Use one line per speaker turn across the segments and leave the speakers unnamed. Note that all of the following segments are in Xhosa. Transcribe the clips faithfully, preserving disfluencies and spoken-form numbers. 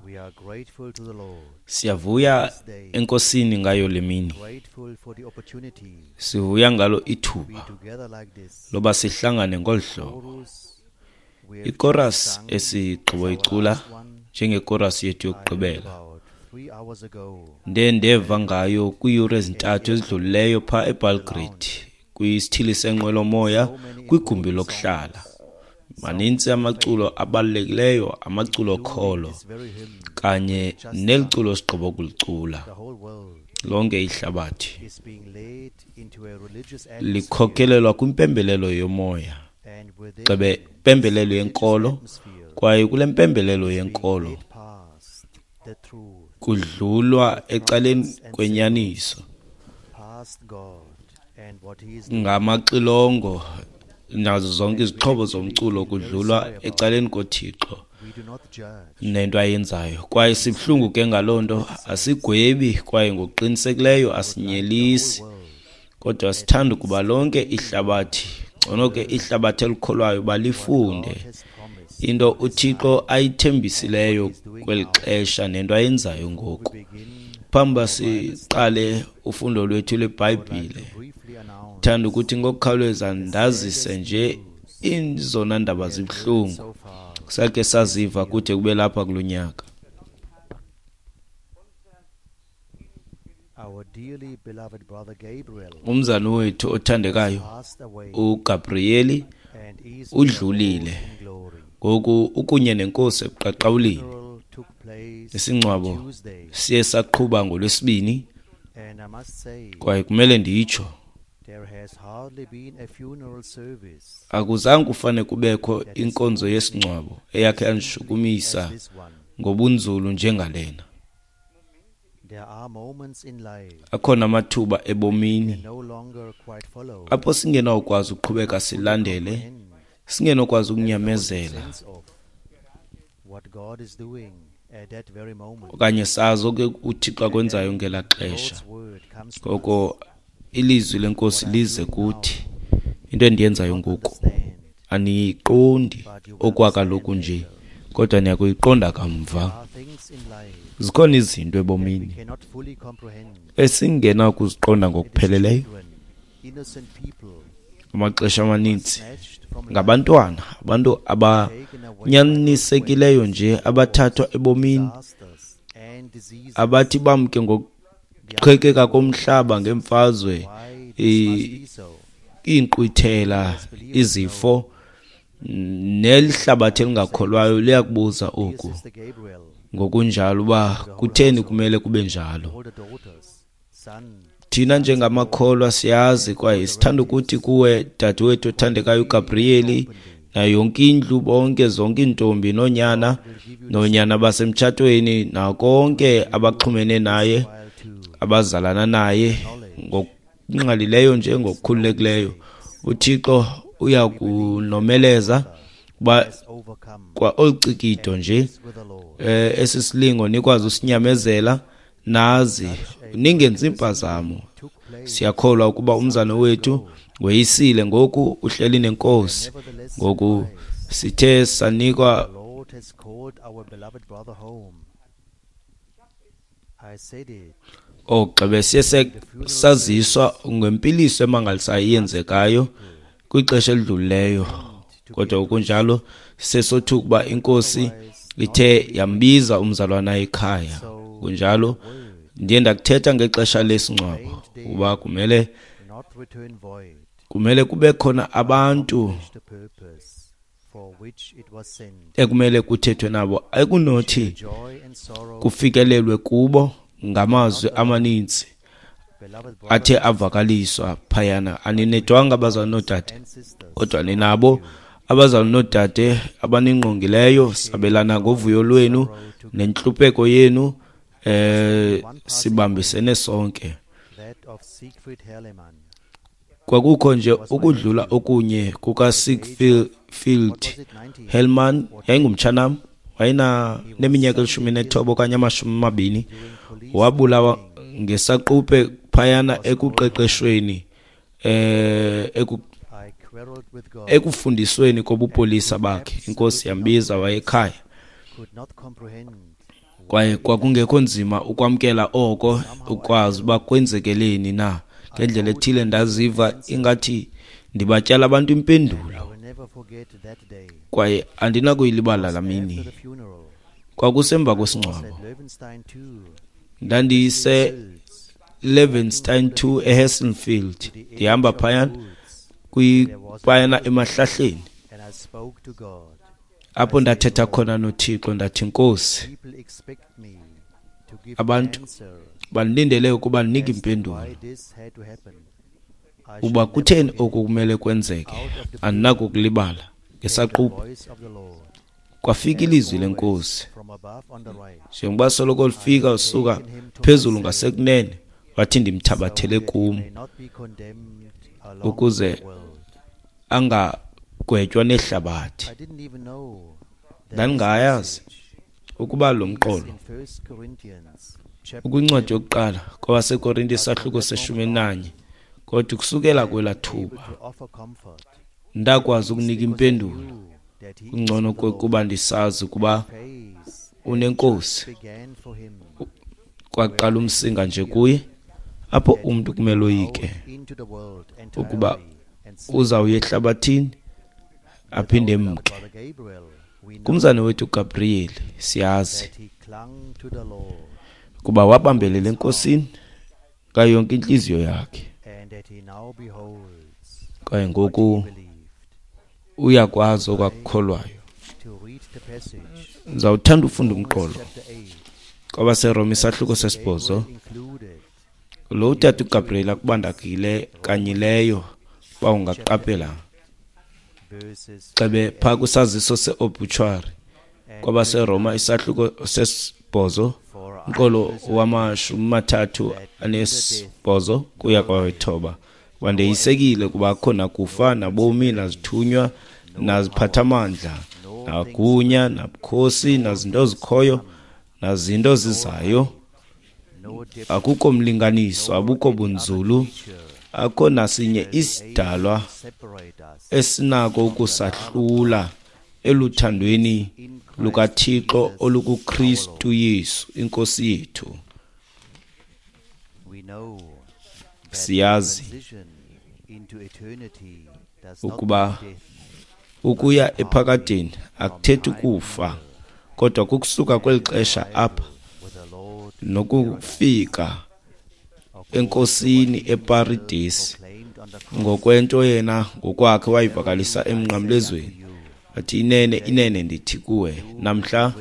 We are grateful to the Lord,
Siyavuya enkosini ngayo le mini.
grateful for the opportunity
Sivuya ngalo
to be
ithuba
together like this.
loba sihlangane ngolu hlobo.
Chorus, we have
Ikorasi
just sung
esigqibo
as our
icula
last one.
njengekorasi yethu
I heard
yokugqibela.
about three hours ago.
Ndiye ndeva ngayo kwiiyure ezintathu ezidlulileyo phaa eBelgrade kwisithili senqwelomoya kwigumbi lokuhlala. Manintsi amaculo abalulekileyo, amaculo okholo
This very hymn,
kanye neli culo sigqibo kulicula.
the whole world
Lonke ihlabathi
is being led into a religious atmosphere,
likhokhelelwa kwimpembelelo yomoya,
and within
gxebe impembelelo yenkolo,
atmosphere
kwaye kule mpembelelo yenkolo
led past the truth,
kudlulwa ecaleni kwenyaniso
past God and what he is doing.
ngamaxilongo nazo zonke izixhobo zomculo kudlulwa ecaleni koThixo
We do not judge.
nento ayenzayo. Kwaye sibuhlungu ke ngaloo nto, asigwebi kwaye ngokuqinisekileyo asinyelisi, kodwa sithanda ukuba lonke ihlabathi, ngcono ke ihlabathi elikholwayo, balifunde
Has promised
into uThixo ayithembisileyo kweli xesha nento ayenzayo ngoku.
begin
Phambi uba siqale ufundo lwethu lweBhayibhile,
briefly announce
thanda ukuthi ngokukhawuleza ndazise nje izona ndaba zibuhlungu
so far
sakhe saziva kude kube lapha kulo nyaka.
our dearly beloved brother Gabriel
Umzali wethu othandekayo
passed away
uGabrieli
and is
udlulile
in glory.
ngoku ukunye nenkosi ebuqaqawulini.
Funeral took place
Isingcwabo
Tuesday,
siye saqhuba ngolwesibini,
and I must say
kwaye kumele nditsho
there has hardly been a funeral service
akuzange kufane kubekho inkonzo yesingcwabo eyakhe yandishukumisa
as this one.
ngobunzulu njengalena.
There are moments in life
Akhona amathuba ebomini
no longer quite follow
apho singenawukwazi ukuqhubeka silandele,
and
singenokwazi ukunyamezela
sense of what God is doing at that very moment.
okanye sazi oke uThixo akwenzayo ngelaa xesha.
God's word comes to
Ngoko ilizwi lenkosi lize kuthi, into endiyenzayo ngoku
understand.
aniyiqondi okwakaloku nje, kodwa niyakuyiqonda kamva.
There are things in life
Zikhona izinto
we
ebomini
cannot fully comprehend.
esingenakuziqonda ngokupheleleyo.
Children, innocent people
Amaxesha amaninzi
snatched from life,
ngabantwana, abantu abanyanisekileyo nje abathathwa ebomini,
disasters and diseases.
abathi bamke ngokuqhekeka komhlaba ngemfazwe,
Why this must be so?
iinkqwithela, izifo, nelihlabathi elingakholwayo liyakubuza oku
Sister Gabriel,
ngokunjalo uba kutheni kumele kube njalo.
all the daughters, son,
Thina njengamakholwa siyazi kwaye sithanda ukuthi kuwe dadewethu othandekayo uGabrieli nayo yonke indlu, bonke zonke iintombi noonyana noonyana basemtshatweni nakonke abaxhumene naye,
while to
abazalana naye ngokungqalileyo nje ngokukhululekileyo, uThixo uya kunomeleza uba
overcome
kwa olu cikido nje
with the Lord.
eh esi silingo nikwazi usinyamezela, nazi ningenzi impazamo.
Took place
Siyakholwa ukuba umzana wethu weyisile ngoku uhleli nenkosi. Ngoku sithe sanikwa
The Lord has called our beloved brother home. I said it
ogxebe siye se- saziswa ngempiliso emangalisayo eyenzekayo kwixesha elidlulileyo, kodwa kunjalo sesothuka ukuba inkosi ithe yambiza umzalwana ekhaya. Kunjalo ndiye ndakuthetha ngexesha lesingcwabo uba kumele
not return void
kumele kube khona abantu
the purpose for which it was sent.
ekumele kuthethwe nabo, ekunothi
Joy and sorrow,
kufikelelwe kubo ngamazwi amaninzi
beloved brothers
athe avakaliswa phayana. Aninedwanga abazali noodade,
and sisters,
kodwa ninabo abazali noodade abaningqongileyo. Sabelana ngovuyo lwenu nentlupheko yenu, eh sibambisene sonke.
that of Siegfried Herlemann.
Kwakukho nje ukudlula okunye kuka Siegfried
Was it nineteen?
Hellman, yayingumtshanam, wayena neminyaka elishumi nethoba okanye amashumi amabini, wabulawa ngesaquphe phayana ekuqeqeshweni eh eku
I quarreled with God,
ekufundisweni kobupolisa bakhe. Inkosi yambiza wayekhaya.
could not comprehend
Kwaye kwakungekho nzima ukwamkela oko, ukwazi uba kwenzekeleni na. Ngendlela ethile ndaziva ingathi ndibatyala abantu impendulo, kwaye andinakuyilibala laa mini. Kwakusemva kwesingcwabo, ndandise Levenstein two eHessenfield, ndihamba phayana kwiphayana emahlahleni, apho ndathetha khona noThixo. Ndathi, Nkosi, abantu bandilindele ukuba ndinike impendulo uba kutheni oku kumele kwenzeke. Andinakukulibala. Ngesaquphe kwafika ilizwi lenkosi, njengoba soloko lifika usuka phezulu ngasekunene, wathi ndimthabathele kum ukuze angagwetywa nehlabathi. Ndandingayazi ukuba lo mqolo ukwincwadi yokuqala kwabaseKorinte isahluko seshumi nanye, kodwa kusukela kwelaa thuba ndakwazi ukunika impendulo. Kungcono kuba ndisazi ukuba unenkosi. Kwaqala umsinga nje kuye, apho umntu kumele oyike ukuba uzawuya ehlabathini aphinde emke. Kumzane wethu Gabriel siyazi kuba wabambelela enkosini ngayo yonke intliziyo yakhe, kwaye ngoku uyakwazi okwakukholwayo. Ndizawuthanda ufunda umqolo kwabaseRoma isahluko sesibhozo. Lo utata uGabriel akubandakile kanyileyo uba ungaqaphela xebe phaa kwisaziso se-obituary kwabaseRoma isahluko sesibhozo umqolo wamashumi mathathu anesibhozo kuya kwawethoba. Wandeyisekile kuba akho nakufa nabomi nazithunywa naziphathamandla nagunya nabukhosi nazinto zikhoyo nazinto zizayo, akukho mlinganiso, abukho bunzulu, akho nasinye isidalwa esinako ukusahlula eluthandweni lukaThixo olukuKristu Yesu inkosi yethu. Siyazi ukuba ukuya ephakadeni akuthethi ukufa, kodwa kukusuka kweli xesha apha nokufika enkosini eParadesi, ngokwento yena ngokwakhe wayivakalisa emnqamlezweni. Athi, inene inene ndithi kuwe, namhla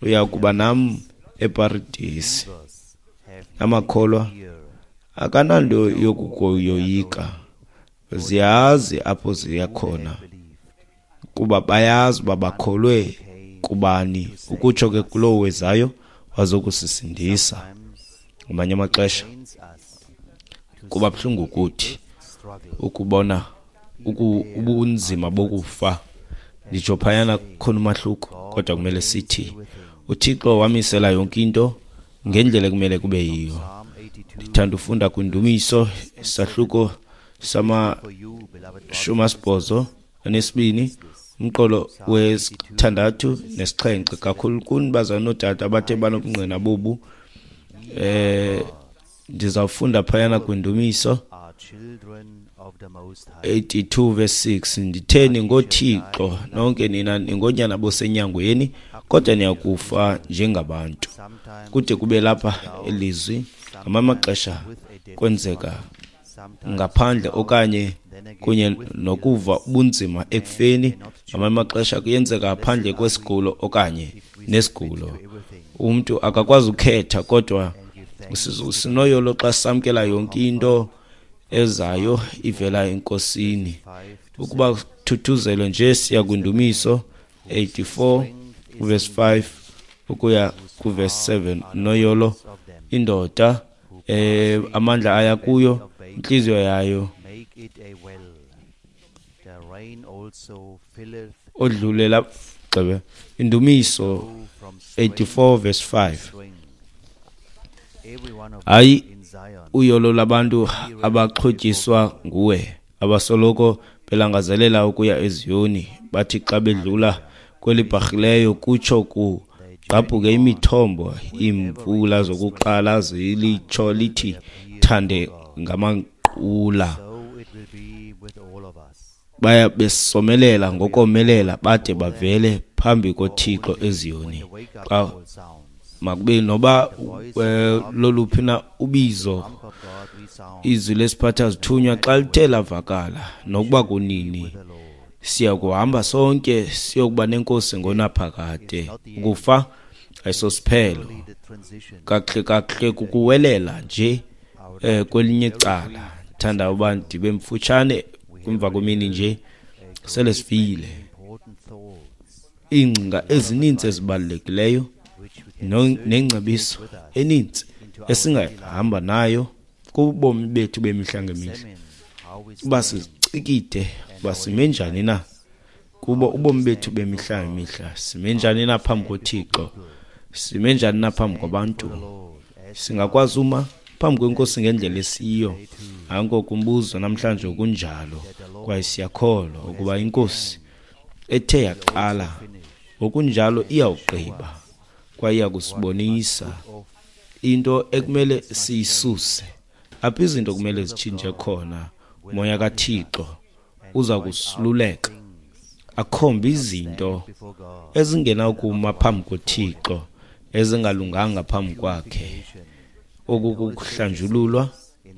uya kuba nam eParadesi. Amakholwa akananto yokukoyoyika, ziyazi apho ziya khona, kuba bayazi uba bakholwe kubani, ukutsho ke kulowo wezayo wazokusisindisa. Ngamanye amaxesha kuba buhlungu kuthi ukubona ubunzima bokufa. Nditsho phayana kukhona umahluko, kodwa kumele sithi uThixo wamisela yonke into ngendlela ekumele kube yiyo. Ndithanda ufunda kwindumiso isahluko samashumi asibhozo anesibini umqolo wesithandathu nesixhenxe. Kakhulu kuni bazalwane nootata abathe banobungqina bobu, eh ndizawufunda phayana kwindumiso eighty-two verse six. Nditheni ngoThixo nonke nina ningonyana bosenyangweni, kodwa niyakufa njengabantu. Kude kube lapha elizwi ngamanye amaxesha kwenzeka ngaphandle okanye kunye nokuva ubunzima ekufeni. Ngamanye amaxesha kuyenzeka ngaphandle kwesigulo okanye nesigulo. Umntu akakwazi ukukhetha, kodwa sinoyolo xa samkela yonke into ezayo ivela enkosini. Ukuba thuthuzelwe nje siya kwindumiso eighty-four verse five ukuya kuverse seven. Noyolo indoda eh amandla aya kuyo, intliziyo yayo odlulela gxebe. Indumiso eighty-four verse five. Hayi uyolo labantu abaxhotyiswa nguwe, abasoloko belangazelela ukuya eZiyoni, bathi xa bedlula kwelibharhileyo kutsho ku Gqabhuke imithombo, iimvula zokuqala zilitsho lithi thande ngamanqula. Baya besomelela ngokomelela bade bavele phambi koThixo eZiyoni. Xa makube noba loluphi na ubizo, izwi lesiphatha zithunywa xa lithe lavakala, nokuba kunini, siya kuhamba sonke siyokuba nenkosi ngonaphakade. Ukufa ayisosiphelo, kakuhle kakuhle kukuwelela nje eh kwelinye icala. Thanda uba ndibe mfutshane emva kwemini nje, sele sifile. Iingcinga ezininzi ezibalulekileyo nengcebiso eninzi esingahamba nayo kubomi bethu bemihla ngemihla, uba sizicikide uba sime njani na kubo ubomi bethu bemihla ngemihla, sime njani na phambi koThixo, sime njani na phambi kwabantu, singakwazi uma phambi kwenkosi ngendlela esiyo. Nanko kumbuzo namhlanje kunjalo, kwaye siyakholwa ukuba inkosi ethe yaqala ngokunjalo iyawugqiba, kwaye iyakusibonisa into ekumele siyisuse, apho izinto kumele zitshintshe khona. Umoya kaThixo uza kusiluleka, akhombe izinto ezingenakuma phambi koThixo, ezingalunganga phambi kwakhe. Oku kukuhlanjululwa,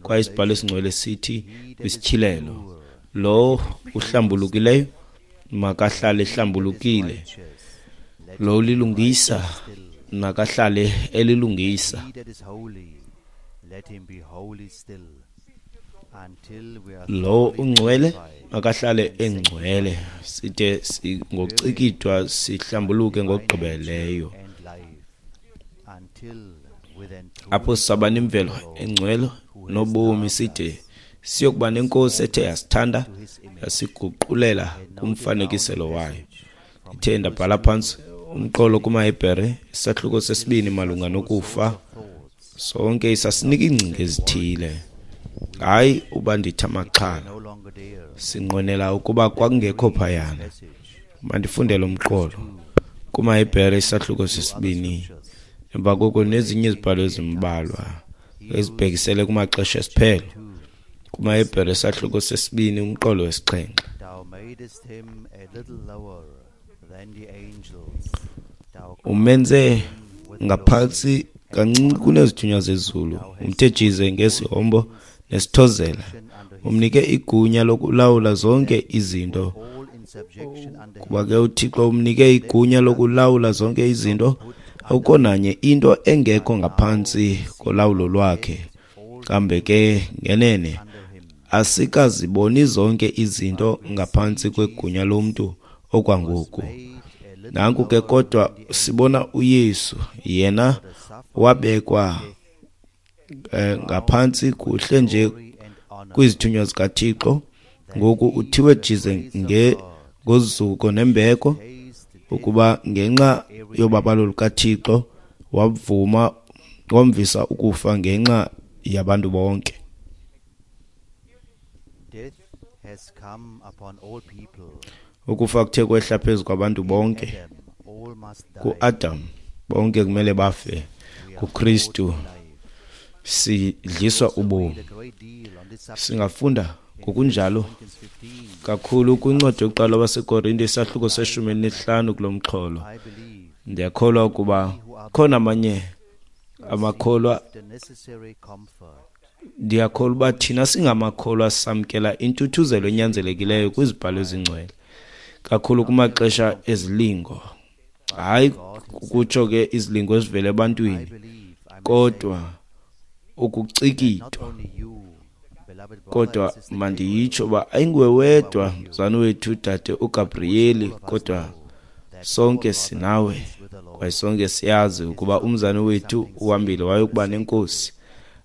kwaye isibhalo esingcwele sithi kwisityhilelo, lo uhlambulukileyo makahlale ehlambulukile, lo ulilungisa makahlale elilungisa. Lo ungcwele makahlale engcwele, side ngocikidwa sihlambuluke ngokugqibeleyo. Apho saba nemvelo engcwele nobomi, side siyokuba nenkosi ethe yasithanda yasiguqulela kumfanekiselo wayo. Ithe ndabhala phantsi umqolo kumaHebhere isahluko sesibini malunga nokufa. Sonke isasinika iingcinga ezithile, hayi uba ndithi amaxhala, sinqwenela ukuba kwakungekho phayana. Mandifundele umqolo kumaHebhere isahluko sesibini, emva koko nezinye izibhalo ezimbalwa ezibhekisele kumaxesha esiphelo. KumaHebhere isahluko sesibini umqolo wesixhenxe. Umenze ngaphantsi kancinci kunezithunywa zezulu, umthe jize ngesihombo nesithozela, umnike igunya lokulawula zonke izinto. Kuba ke uThixo umnike igunya lokulawula zonke izinto, akukho nanye into engekho ngaphantsi kolawulo lwakhe. Kambe ke ngenene asikaziboni zonke izinto ngaphantsi kwegunya lomntu okwangoku. Nanku ke kodwa sibona uYesu, yena wabekwa eh, ngaphantsi kuhle nje kwizithunywa zikaThixo. Ngoku uthiwe jize nge ngozuko nembeko, ukuba ngenxa yobabalo lukaThixo wavuma wamvisa ukufa ngenxa yabantu bonke. Ukufa kuthe kwehla phezu kwabantu bonke. KuAdam bonke kumele bafe, kuKristu sidliswa ubomi. Singafunda ngokunjalo kakhulu kwincwadi yokuqala waseKorinte isahluko seshumi elinesihlanu kulo mxholo. Ndiyakholwa ukuba khona amanye amakholwa, ndiyakholwa uba thina singamakholwa samkela intuthuzelo enyanzelekileyo kwizibhalo ezingcwele, kakhulu kumaxesha ezilingo. Hayi kutsho ke izilingo ezivela ebantwini, kodwa ukucikidwa. Kodwa mandiyitsho uba ayinguwe wedwa mzana wethu dade uGabrieli, kodwa sonke sinawe, kwaye sonke siyazi ukuba umzana wethu uhambile wayokuba nenkosi.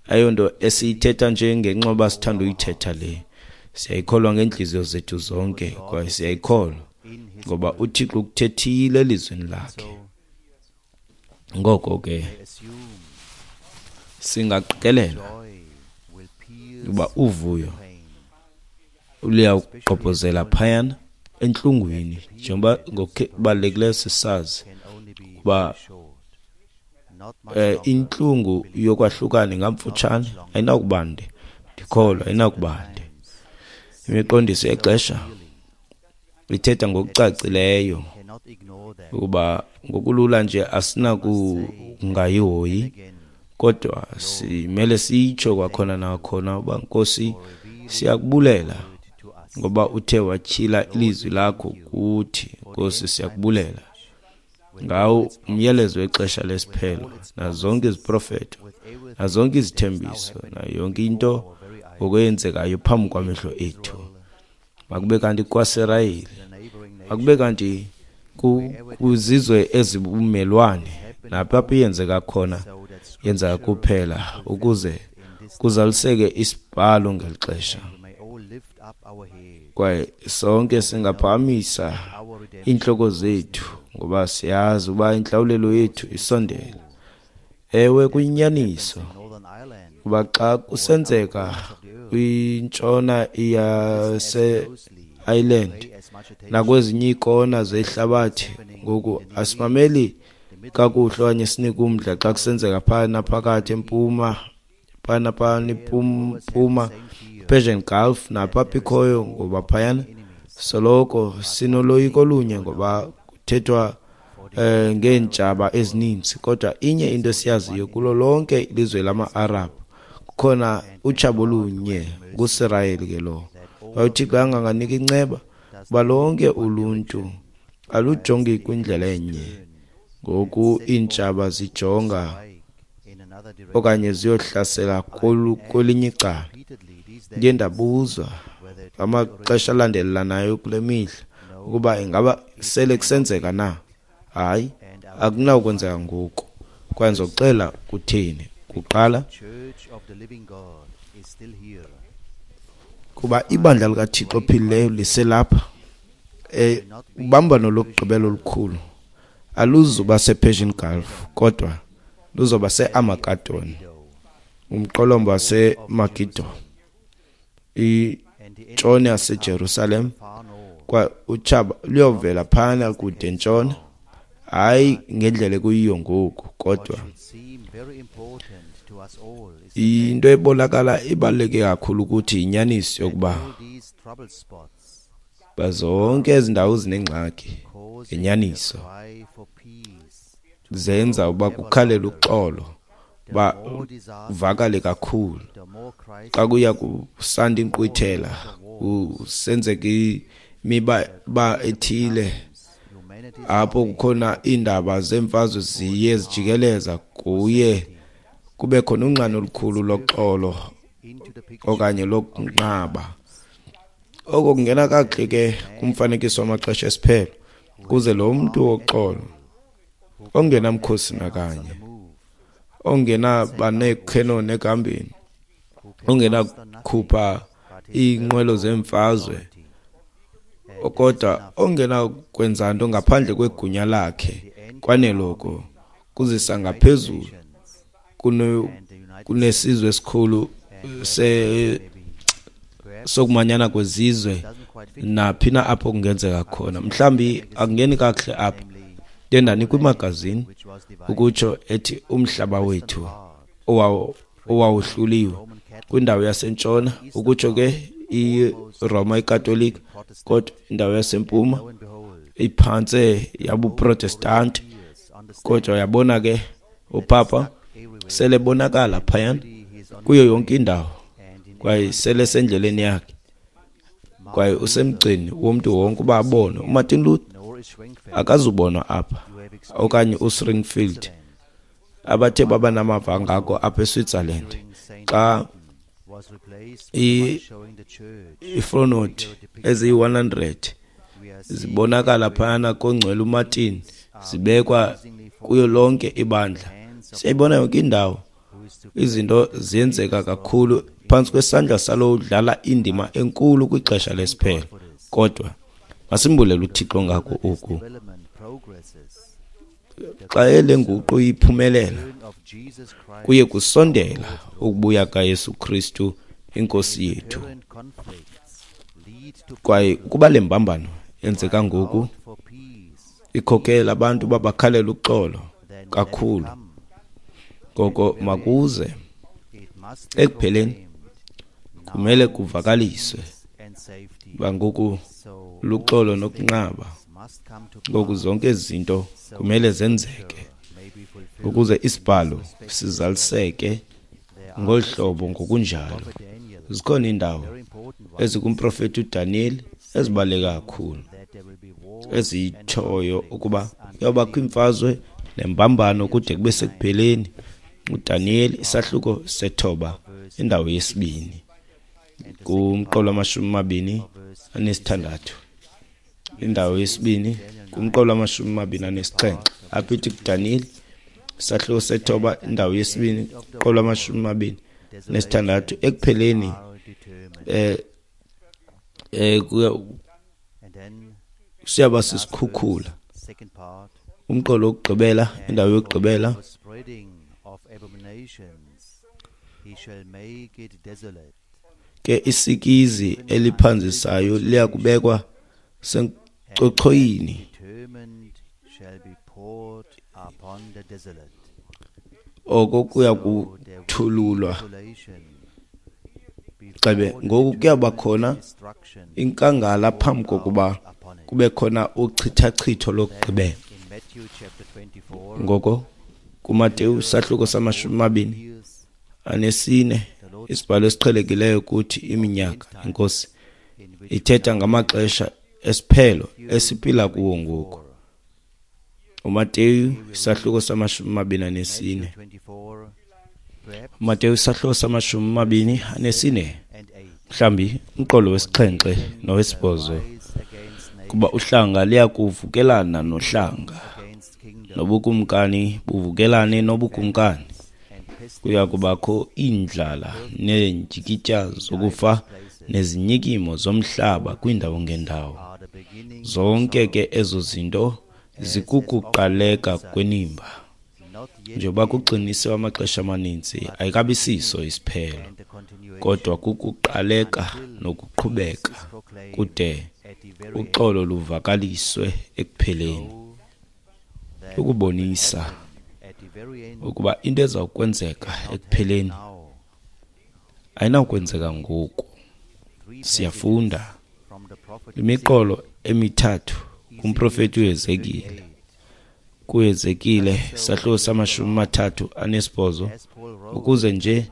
Ayonto esiyithetha nje ngenxa yoba sithanda uyithetha le, siyayikholwa ngeentliziyo zethu zonke, kwaye siyayikholwa ngoba uThixo ukuthethile elizwini lakhe. Ngoko ke singaqikelela uba uvuyo luyawugqobhozela phayana entlungwini, njengoba ngokubalulekileyo sisazi uba Eh intlungu yokwahlukana ingamfutshane, ayinakubande. Ndikholwa ayinakubande. Imiqondiso yexesha ithetha ngokucacileyo ukuba ngokulula nje asinakungayihoyi, kodwa simele sitsho kwakhona nakhona uba Nkosi siyakubulela ngoba uthe watyhila ilizwi lakho kuthi. Nkosi siyakubulela ngawo umyalezo wexesha lesiphelo, nazonke iziprofeto, nazonke izithembiso, nayo yonke into okwenzekayo phambi kwamehlo ethu. Makube kanti kwaSirayeli, makube kanti kwizizwe ezibumelwane, napho apho yenzeka khona, yenzeka kuphela ukuze kuzaliseke isibhalo ngeli xesha. Kwaye sonke singaphakamisa iintloko zethu ngoba siyazi uba intlawulelo yethu isondele. Ewe, kuyinyaniso kuba xa kusenzeka kwintshona yase-Ireland nakwezinye iikona zehlabathi, ngoku asimameli kakuhle okanye sinike umdla xa kusenzeka phana phakathi empuma, phana phana impuma Persian Gulf napho apho ikhoyo, ngoba phayana soloko sinoloyiko olunye ngoba kuthethwa eh ngeentshaba ezininzi. Kodwa inye into esiyaziyo, kulo lonke ilizwe lama-Arab kukhona utshaba olunye, nguSirayeli ke lo. UThixo anganganika inceba uba lonke uluntu alujongi kwindlela enye. Ngoku iintshaba zijonga okanye ziyohlasela kwelinye icala. Ndiye ndabuzwa amaxesha alandelelanayo kule mihla ukuba ingaba sele kusenzeka na. Hayi, akunawukwenzeka ngoku. Kwaye ndizokuxela kutheni. Kuqala, kuba ibandla likaThixo ophilileyo liselapha. Eh ubambano lokugqibela olukhulu aluzuba sePersian Gulf, kodwa luzoba seArmageddon, umqolomba waseMegido, intshona yaseJerusalem. Kwa utshaba luyovela phana kude ntshona, hayi ngendlela ekuyiyo ngoku, kodwa into ebonakala ibaluleke kakhulu ukuthi inyaniso yokuba bazonke ezi ndawo zinengxaki ngenyaniso zenza uba kukhalele uxolo, uba uvakale kakhulu. Xa kuya kusanda inkqwithela, kusenzeka imiba ba ethile apho kukhona iindaba zemfazwe ziye zijikeleza, kuye kube khona unxano olukhulu loxolo okanye lokunqaba. Oko kungena kakuhle ke kumfanekiso wamaxesha esiphelo, kuze lo mntu woxolo ongenamkhosi nakanye, ongenaba neekhenoni ekuhambeni, ongenakukhupha iinqwelo zemfazwe, kodwa ongenakwenza nto ngaphandle kwegunya lakhe, kwaneloko kuzisa ngaphezulu kunesizwe esikhulu se sokumanyana kwezizwe naphi na apho kungenzeka khona. Mhlawumbi akungeni kakuhle apha, ndiye ndanikwa imagazini ukutsho ethi umhlaba wethu owawuhluliwe kwindawo yasentshona, ukutsho ke iRoma iKatolika, kodwa indawo yasempuma iphantse yabuProtestanti. Kodwa yabona ke upapa sele bonakala phayana kuyo yonke indawo, kwaye sele sendleleni yakhe, kwaye usemgcini womntu wonke uba abone. uMartin Luther akazubonwa apha, okanye uSpringfield, abathe baba namava ngako apha eSwitzerland xa iifronoti eziyi-one hundred zibonakala phayana kongcwele uMartin, zibekwa kuyo lonke ibandla. Siyayibona yonke indawo, izinto ziyenzeka kakhulu phantsi kwesandla salo udlala indima enkulu kwixesha lesiphelo. Kodwa masimbulele uThixo ngako oku. Xa le nguqu iphumelela, kuye kusondela ukubuya kaYesu Kristu inkosi yethu. Kwaye ukuba le mbambano yenzeka ngoku ikhokela abantu babakhalela uxolo kakhulu, Ngoko makuze ekupheleni kumele kuvakaliswe uba ngoku luxolo nokunqaba. Ngoku zonke ezi zinto kumele zenzeke ukuze isibhalo sizaliseke ngolu hlobo ngokunjalo. Zikhona iindawo ezikumprofeti uDaniyeli ezibaluleke kakhulu ezitshoyo ukuba kuyawubakho iimfazwe nembambano kude kube sekupheleni. uDaniyeli isahluko sethoba indawo yesibini kumqolo wamashumi amabini anesithandathu, indawo yesibini kumqolo wamashumi amabini anesixhenxe. Apha ithi kuDaniyeli isahluko sethoba indawo yesibini kumqolo wamashumi amabini nesithandathu, ekupheleni eh eh siyaba sisikhukhula. Umqolo wokugqibela, indawo yokugqibela, ke isikizi eliphanzisayo liyakubekwa sencochoyini, oko kuya kuthululwa. Xebe ngoku kuyaba khona inkangala phambi kokuba kube khona uchithachitho lokugqibela. Ngoko kuMateyu isahluko samashumi amabini anesine, isibhalo esiqhelekileyo kuthi iminyaka inkosi ithetha ngamaxesha esiphelo esiphila kuwo ngoku. uMateyu isahluko samashumi amabini anesine, uMateyu isahluko samashumi amabini anesine, mhlawumbi umqolo wesixhenxe nowesibhozo, kuba uhlanga liyakuvukelana nohlanga, nobukumkani buvukelane nobukumkani. Kuya kubakho iindlala neendyikitya zokufa nezinyikimo zomhlaba kwiindawo ngendawo. Zonke ke ezo zinto zikukuqaleka kwenimba. Njengoba kugxinisiwe amaxesha amaninzi, ayikabi siso isiphelo, kodwa kukuqaleka nokuqhubeka kude uxolo luvakaliswe ekupheleni, ukubonisa ukuba into eza kwenzeka ekupheleni ayinakwenzeka ngoku. Siyafunda imiqolo emithathu kumprofeti uHezekile. KuHezekile isahluko samashumi amathathu anesibhozo, ukuze nje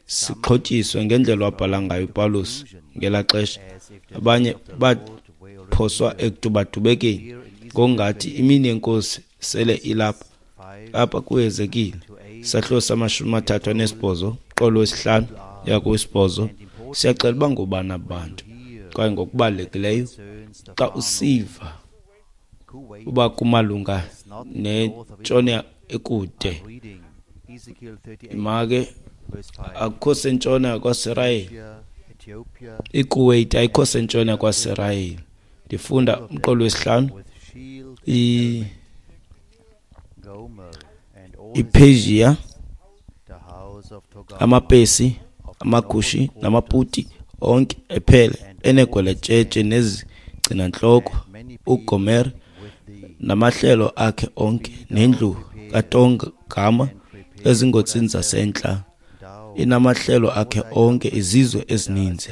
sixhotyiswe ngendlela wabhala ngayo uPawulos ngelaa xesha. Abanye baphoswa ekudubadubekeni ngokungathi imini yenkosi sele ilapha. Apha kuHezekile isahluko samashumi amathathu anesibhozo, qolo wesihlanu uya kowesibhozo, siyaxela uba ngobani abantu. Kwaye ngokubalulekileyo xa usiva uba kumalunga nentshona ekude, make akukho sentshona kwaSirayeli, iKuwait ayikho sentshona kwaSirayeli. Ndifunda umqolo wesihlanu, iPersia, amaPesi, amaKushi namaPuti onke ephele enegweletshetshe nezigcinantloko, uGomer namahlelo akhe onke, nendlu kaTongama ezingotsini zasentla inamahlelo akhe onke, izizwe ezininzi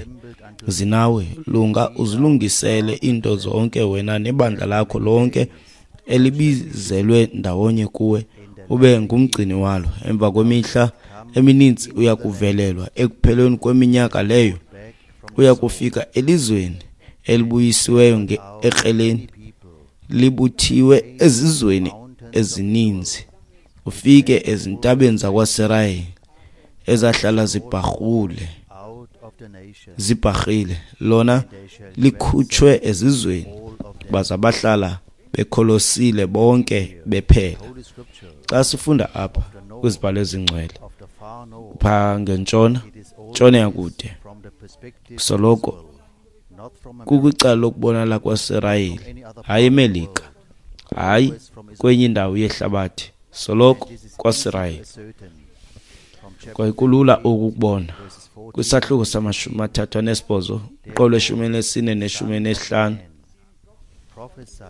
zinawe. Lunga uzilungisele into zonke wena nebandla lakho lonke elibizelwe ndawonye kuwe, ube ngumgcini walo. Emva kwemihla emininzi uya kuvelelwa, ekupheleni kweminyaka leyo uya kufika elizweni elibuyisiweyo ekreleni, libuthiwe ezizweni ezininzi, ufike ezintabeni zakwaSirayeli ezahlala zibharhule zibharhile, lona likhutshwe ezizweni, baza bahlala bekholosile bonke bephela. Xa sifunda apha kwizibhalo ezingcwele phaa ngentshona, ntshona yakude, soloko kukwicala lokubonala kwaSirayeli, hayi eMelika, hayi kwenye indawo yehlabathi, soloko kwaSirayeli. Kwaye kulula ukubona kwisahluko samashumi amathathu anesibhozo, uqolo lweshumi elinesine neshumi elinesihlanu.
Prophesy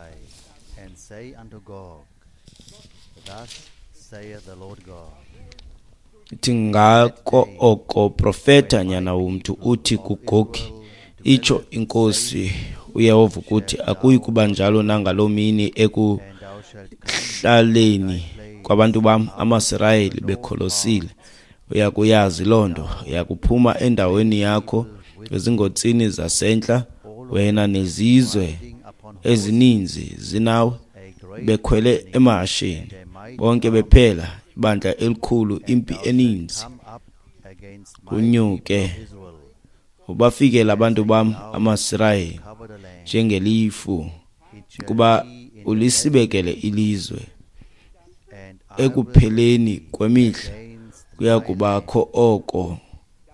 and say unto Gog, Thus saith the Lord God.
Ithi ngako oko profeta nyana womntu uthi kuGogi, itsho inkosi uYehova ukuthi akuyi kuba njalo nangaloo mini ekuhlaleni kwabantu bam amaSirayeli bekholosile. Uya kuyazi loo nto. Uya kuphuma endaweni yakho ezingotsini zasentla, wena nezizwe ezininzi zinawe, bekhwele emahasheni, bonke bephela, ibandla elikhulu, impi eninzi. Unyuke ubafikele abantu bam amaSirayeli njengelifu, kuba ulisibekele ilizwe. Ekupheleni kwemihla kuya kubakho oko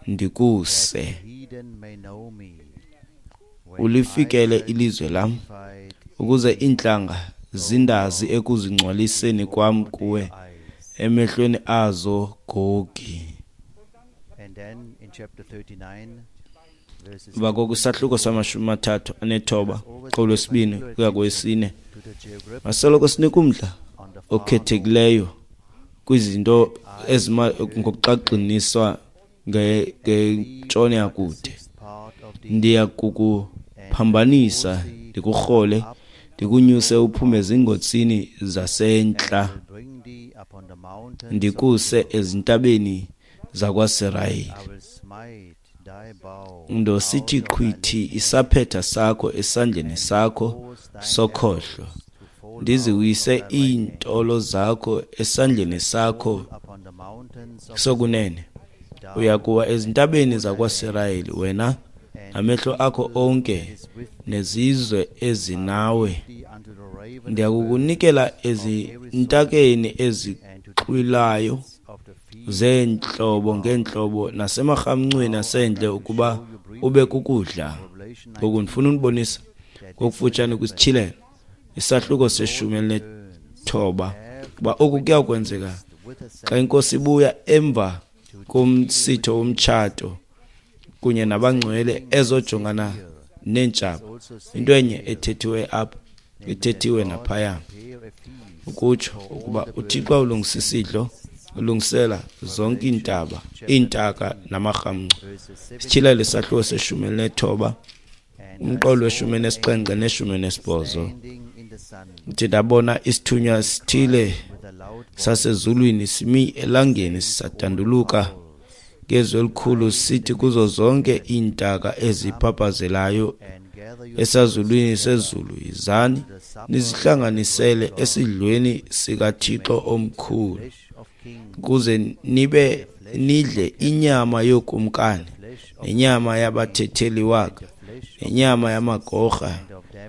ndikuse ulifikele ilizwe lam, ukuze iintlanga zindazi ekuzingcwaliseni kwam kuwe emehlweni azo, Gogi. Emva koko isahluko samashumi amathathu anethoba qolo wesibini kuya kwesine masoloko sinika umdla okhethekileyo kwizinto ezima ngokuxaxiniswa ngentshona yakude. Ndiya kukuphambanisa ndikurhole ndikunyuse uphume ezingotsini zasentla ndikuse ezintabeni zakwaSirayeli. Ndosithi qhwithi isaphetha sakho esandleni sakho sokhohlo, ndiziwise iintolo zakho esandleni sakho sokunene. Uya kuwa ezintabeni zakwaSirayeli wena namehlo akho onke nezizwe ezinawe. Ndiyakukunikela ezintakeni ezixhwilayo zeentlobo ngeentlobo nasemarhamncweni asendle ukuba ube kukudla. Ngoku ndifuna unibonisa ngokufutshane kwisityhilelo isahluko seshumi elinethoba kuba oku kuyakwenzeka xa inkosi ibuya emva komsitho womtshato kunye nabangcwele ezojongana neentshaba. Into enye ethethiwe apha ithethiwe naphaya, ukutsho ukuba uThixo ulungisa isidlo, ulungisela zonke iintaba, iintaka namarhamncwa. Isityhilelo isahluko seshumi elinethoba umqolo weshumi nesixhenxe neshumi nesibhozo. Uthi ndabona isithunywa sithile sasezulwini simi elangeni sisadanduluka ngezwi elikhulu sithi kuzo zonke iintaka eziphaphazelayo esazulwini sezulu, yizani nizihlanganisele esidlweni sikaThixo omkhulu, ukuze nibe nidle inyama yokumkani nenyama yabathetheli waka nenyama yamagorha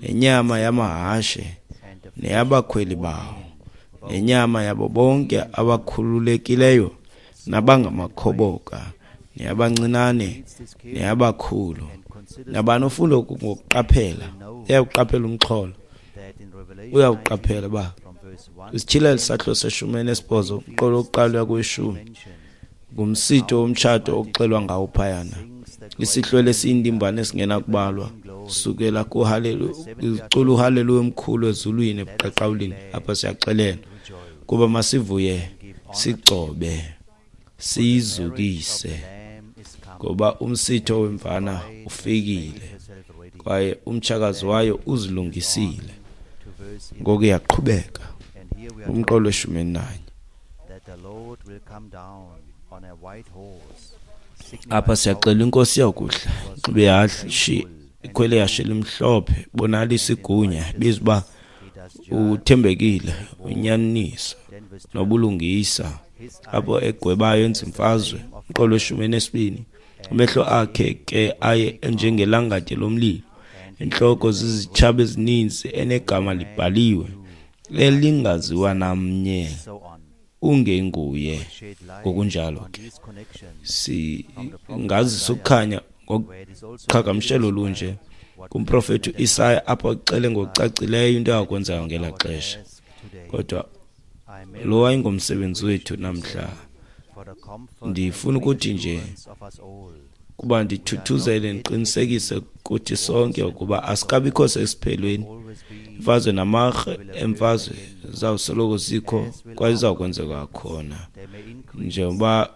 nenyama yamahashe neyabakhweli bawo nenyama yabo bonke abakhululekileyo nabangamakhoboka neyabancinane neyabakhulu. Nabani ofunda ngokuqaphela uyakuqaphela umxholo, uyakuqaphela uba isityhilelo isahluko seshumi elinesibhozo umqolo wokuqala uya kweshumi ngumsitho womtshato okuxelwa ngawo phayana. Isihlwele esiyindimbane esingenakubalwa sukela kuhalelu icula uhaleluya omkhulu ezulwini ebuqaqawulini. Apha siyaxelelwa kuba masivuye sigcobe siyizukise, ngoba umsitho wemvana ufikile kwaye umtshakazi wayo uzilungisile. Ngoku iyaqhubeka umqolo weshumi elinanye. Apha siyaxela inkosi yakuhla inxibe ihashe, ikhwele ihashe elimhlophe, bonalisa igunya, biza uba uthembekile, unyaniso nobulungisa. Apho egwebayo enza imfazwe. Umqolo weshumi enesibini. Amehlo akhe ke aye enjengelangatye lomlilo, intloko zizitshaba ezininzi, enegama libhaliwe elingaziwa namnye ungenguye. Ngokunjalo ke singazisa ukukhanya ngoqhagamshelo olunje kumprofethi uIsaya, apho axele ngokucacileyo into akwenzeka ngelaa xesha. Kodwa lo wayengumsebenzi wethu namhla. Ndifuna ukuthi nje Kuba ndithuthuzele ndiqinisekise kuthi sonke ukuba asikabikho sesiphelweni. Imfazwe namarhe emfazwe zawusoloko zikho kwaye izawukwenzeka khona. Njengoba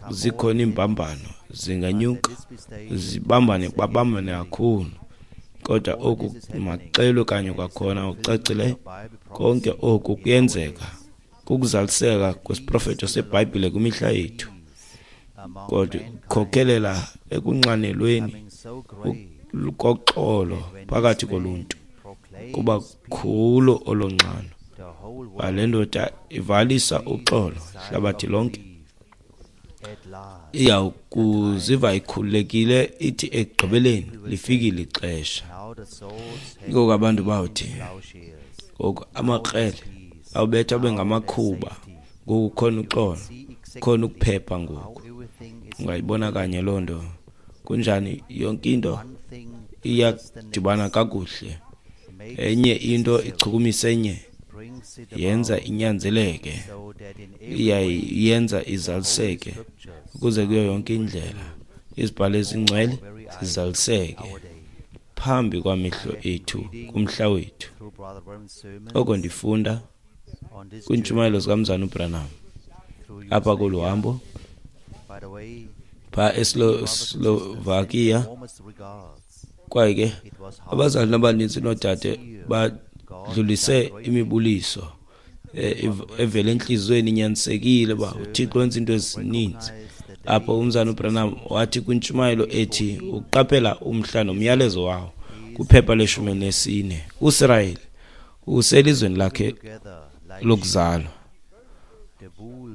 zikhona iimbambano zinganyuka zibambane babambane kakhulu. Kodwa oku makuxelwe kanye kwakhona ngokucacileyo, konke oku kuyenzeka kukuzaliseka kwesiprofeto seBhayibhile kwimihla yethu. Kodwa kukhokelela ekunxanelweni koxolo phakathi koluntu, kuba khulo olonxano. Le ndoda ivalisa uxolo hlabathi lonke, iyawukuziva ikhululekile ithi ekugqibeleni lifikile ixesha. Ngoku abantu bawuthi ngoku amakrele awubetha abe ngamakhuba, ngoku khona uxolo, khona ukuphepha ngoku. Ungayibona kanye loo nto. Kunjani yonke into iyadibana kakuhle. Enye into ichukumisa enye, yenza inyanzeleke, iyayenza izaliseke ukuze kuyo yonke indlela izibhalo ezingcwele zizaliseke phambi kwamehlo ethu kumhla wethu. Oko ndifunda kwiintshumayelo zikaMzana uBranham apha kolu hambo phaa eSlovakia. Kwaye ke abazali abaninzi noodade badlulise imibuliso evela entliziyweni, inyanisekile uba uThixo wenza iinto ezininzi. Apho umzana uBranham wathi kwintshumayelo ethi ukuqaphela umhla nomyalezo wawo kwiphepha leshumi elinesine, uSirayeli uselizweni lakhe lokuzalwa.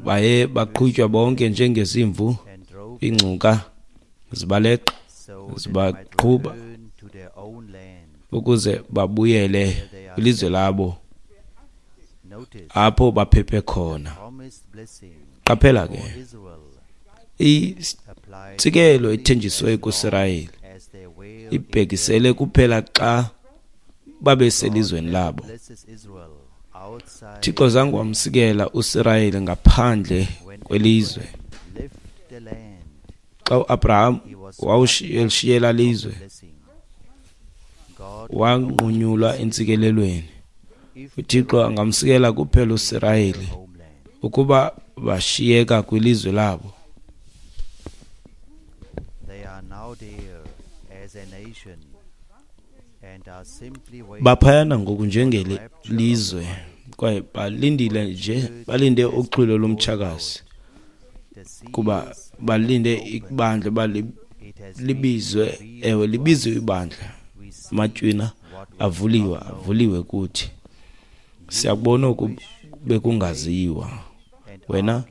Baye baqhutywa bonke njengezimvu, iingcuka zibaleqa zibaqhuba ukuze babuyele kwilizwe labo apho baphephe khona. Qaphela ke intsikelo ethenjisiweyo kuSirayeli ibhekisele kuphela xa babeselizweni labo. Thixo zange wamsikela uSirayeli ngaphandle kwelizwe. Xa uAbraham wawushiyela lizwe, wanqunyulwa entsikelelweni. uThixo angamsikela kuphela uSirayeli ukuba bashiyeka kwilizwe labo. Baphayana ngoku njengelizwe kwaye balindile nje, balinde uxhwilo lomtshakazi, kuba balinde ibandla uba libizwe. Ewe, libizwe ibandla. Amatywina avuliwe, avuliwe kuthi. Siyakubona oku bekungaziwa. Wena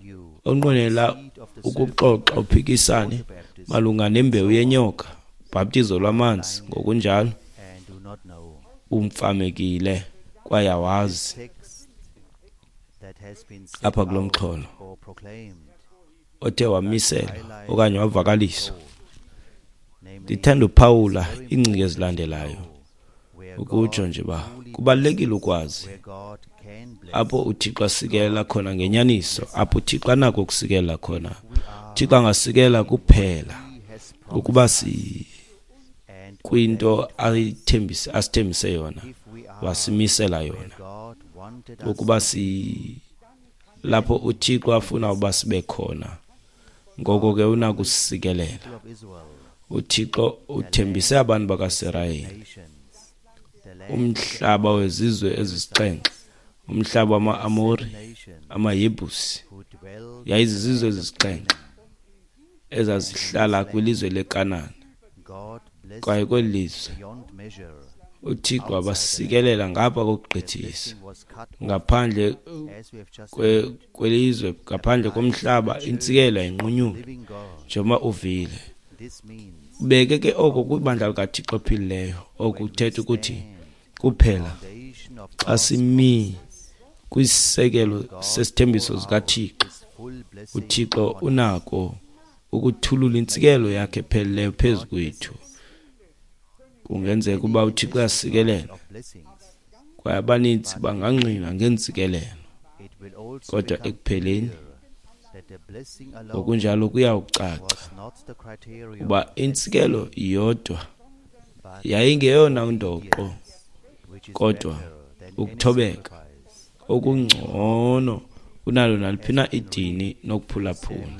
onqwenela ukuxoxa uphikisane malunga nembewu yenyoka, bhaptizo lwamanzi ngokunjalo, umfamekile kwaye awazi. Apha kulo mxholo othe wamiselwa okanye wavakaliswa, ndithanda uphawula iingcinga ezilandelayo ukutsho nje uba kubalulekile ukwazi apho uThixo asikelela khona ngenyaniso, apho uThixo anako ukusikelela khona. uThixo angasikela kuphela ukuba si kwinto ayithembise asithembise yona, wasimisela yona, ukuba si lapho uThixo afuna uba sibe khona. Ngoko ke unakusikelela. uThixo uthembise abantu bakaSirayeli umhlaba wezizwe ezisixhenxe, umhlaba wama-Amori, amaYebusi. Yayizizizwe ezisixhenxe ezazihlala kwilizwe leKanani. Kwaye kweli lizwe uThixo wabasikelela ngapha kokugqithisa, ngaphandle kwelizwe, ngaphandle komhlaba, intsikelo yayinqunyulwa njengoba uvile. Ubeke ke oko kwibandla likaThixo ophilileyo. Oku kuthetha ukuthi kuphela xa simi kwisisekelo sesithembiso sikaThixo, uThixo unako ukuthulula intsikelo yakhe epheleleyo phezu kwethu. Kungenzeka uba uThixo uyasikelela kwaye abaninzi bangangqina ngeentsikelelo, kodwa ekupheleni Ngokunjalo kuyawucaca uba intsikelo yodwa yayingeyona ndoqo, kodwa ukuthobeka okungcono kunalo naliphi na idini nokuphulaphula.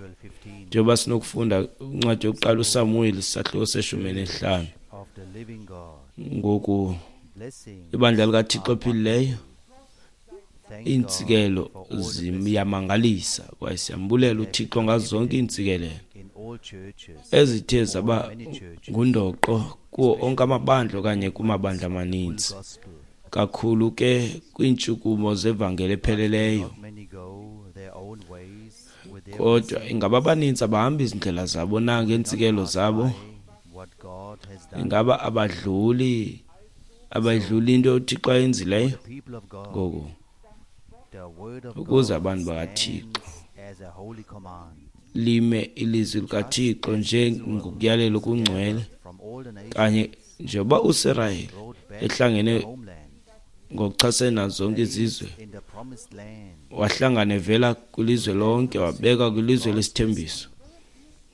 Njengoba sinokufunda incwadi yokuqala uSamuweli isahluko seshumi nesihlanu. Ngoku ibandla likaThixo ophilileyo, iintsikelo ziyamangalisa kwaye siyambulela uThixo ngazo zonke iintsikelelo ezithe zaba ngundoqo kuwo onke amabandla okanye kumabandla amaninzi, kakhulu ke kwiintshukumo zevangeli epheleleyo. Kodwa ingaba abaninzi abahamba izindlela zabo na ngeentsikelo zabo? Ingaba abadluli abayidluli into uThixo ayenzileyo? Ngoku ukuze abantu bakaThixo lime ilizwi likaThixo njengokuyalela okungcwele, kanye njengoba uSirayeli ehlangene ngokuchasene nazo zonke izizwe, wahlangana evela kwilizwe lonke, wabekwa kwilizwe lesithembiso,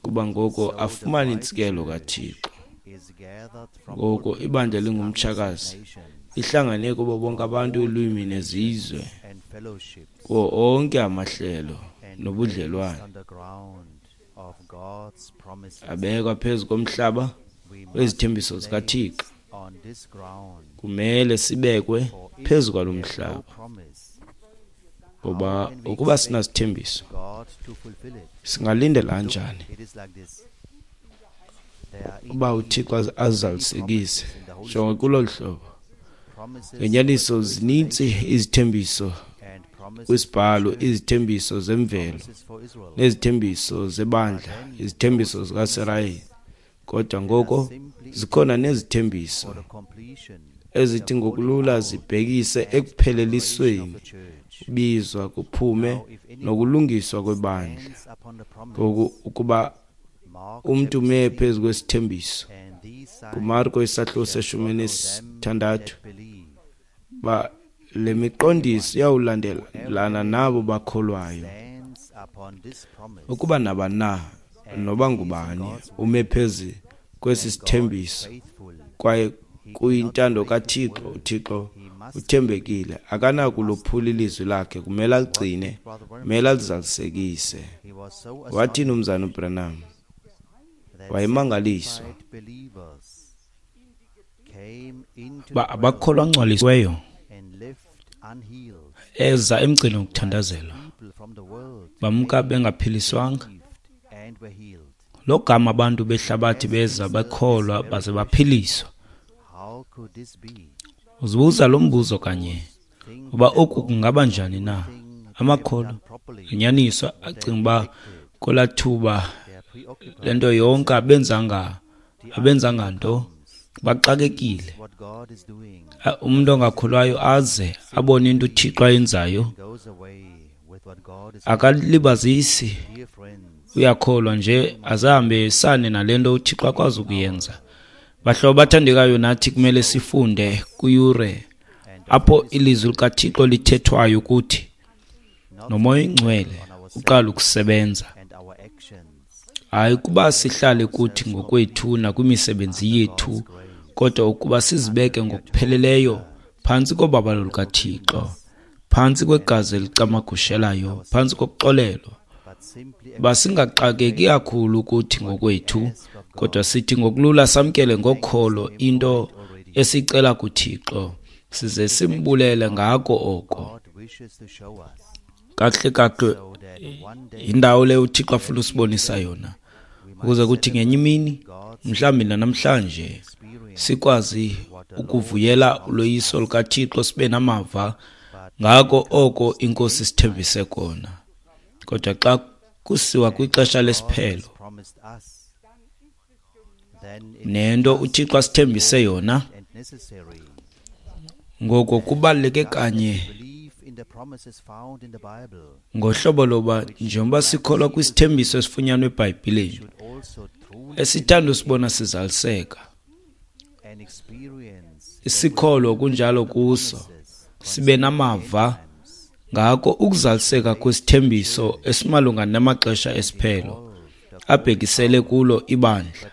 kuba ngoko afumane intsikelo kaThixo. Ngoko ibandla lingumtshakazi lihlangane kubo bonke abantu, ulwimi nezizwe, kuwo onke amahlelo nobudlelwane, abekwa phezu komhlaba wezithembiso zikaThixo. Kumele sibekwe phezu kwalo mhlaba, ngoba ukuba sinasithembiso singalindela kanjani uba uThixo azalisekise? Jonga kulolu hlobo, ngenyaniso zininzi izithembiso kwisibhalo, izithembiso zemvelo nezithembiso zebandla, izithembiso zikaSirayeli. Kodwa ngoko zikhona nezithembiso ezithi ngokulula zibhekise ekuphelelisweni, ubizwa kuphume nokulungiswa kwebandla. Ngoku ukuba umntu ume phezu kwesithembiso, kuMarko isahluko seshumi nesithandathu, ba le miqondiso iyawulandelana nabo bakholwayo. Ukuba nabani na noba ngubani ume phezu kwesi sithembiso kwaye kuyintando kaThixo, uThixo uthembekile, akanakulophula ilizwi lakhe, kumele aligcine, kumele alizalisekise. Wathini umzana uBranham? Wayemangaliswa
ba abakholwa ngcwalisiweyo eza emgcini wokuthandazelwa, bamka bengaphiliswanga. Logama abantu behlabathi beza bakholwa baze baphiliswa. Uzibuza lo mbuzo kanye uba oku kungaba njani na? Amakholwa ngenyaniso acinga uba kwelaa thuba le nto yonke abenzanga abenzanga nto, baxakekile. Umntu ongakholwayo aze abone into uThixo ayenzayo, akalibazisi, uyakholwa nje azahambe esane nale nto uThixo akwazi ukuyenza. Bahlobo bathandekayo, nathi kumele sifunde kwiyure apho ilizwi likaThixo lithethwayo kuthi noMoya oyiNgcwele uqala ukusebenza. Hayi ukuba sihlale kuthi ngokwethu nakwimisebenzi yethu, kodwa ukuba sizibeke ngokupheleleyo phantsi kobabalo lukaThixo, phantsi kwegazi elicamagushelayo, phantsi kokuxolelwa. Basingaxakeki kakhulu kuthi ngokwethu, kodwa sithi ngokulula samkele ngokholo into esicela kuThixo, size simbulele ngako oko. Kakuhle kakuhle yindawo leyo uThixo afuna usibonisa yona, ukuze kuthi ngenye imini, mhlawumbi namhlanje, sikwazi ukuvuyela uloyiso lukaThixo, sibe namava ngako oko iNkosi sithembise kona. Kodwa xa kusiwa kwixesha lesiphelo nento uThixo asithembise yona, ngoko kubaluleke kanye ngohlobo loba njengoba sikholwa kwisithembiso esifunyanwe eBhayibhileni, esithanda usibona sizaliseka, isikholwa kunjalo kuso, sibe namava
Ngako ukuzaliseka kwesithembiso esimalunga namaxesha esiphelo abhekisele kulo ibandla,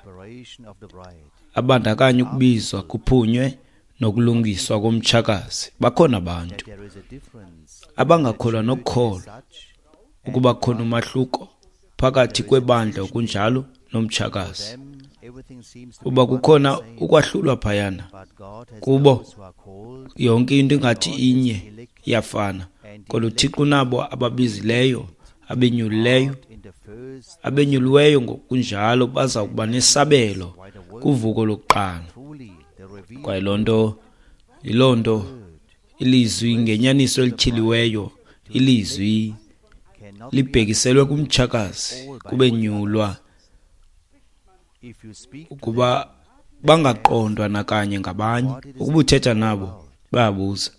abandakanya ukubizwa kuphunywe nokulungiswa komtshakazi. Bakhona abantu abangakholwa nokukholwa ukuba khona umahluko phakathi kwebandla okunjalo nomtshakazi, uba kukhona ukwahlulwa phayana. Kubo yonke into ingathi inye iyafana, kodwa uThixo unabo ababizileyo, abenyulileyo, abenyuliweyo ngokunjalo baza kuba nesabelo kuvuko lokuqala. Kwaye loo nto yiloo nto ilizwi ngenyaniso elityhiliweyo, ilizwi libhekiselwe kumtshakazi kubenyulwa ukuba bangaqondwa nakanye ngabanye. Ukuba uthetha nabo bayabuza,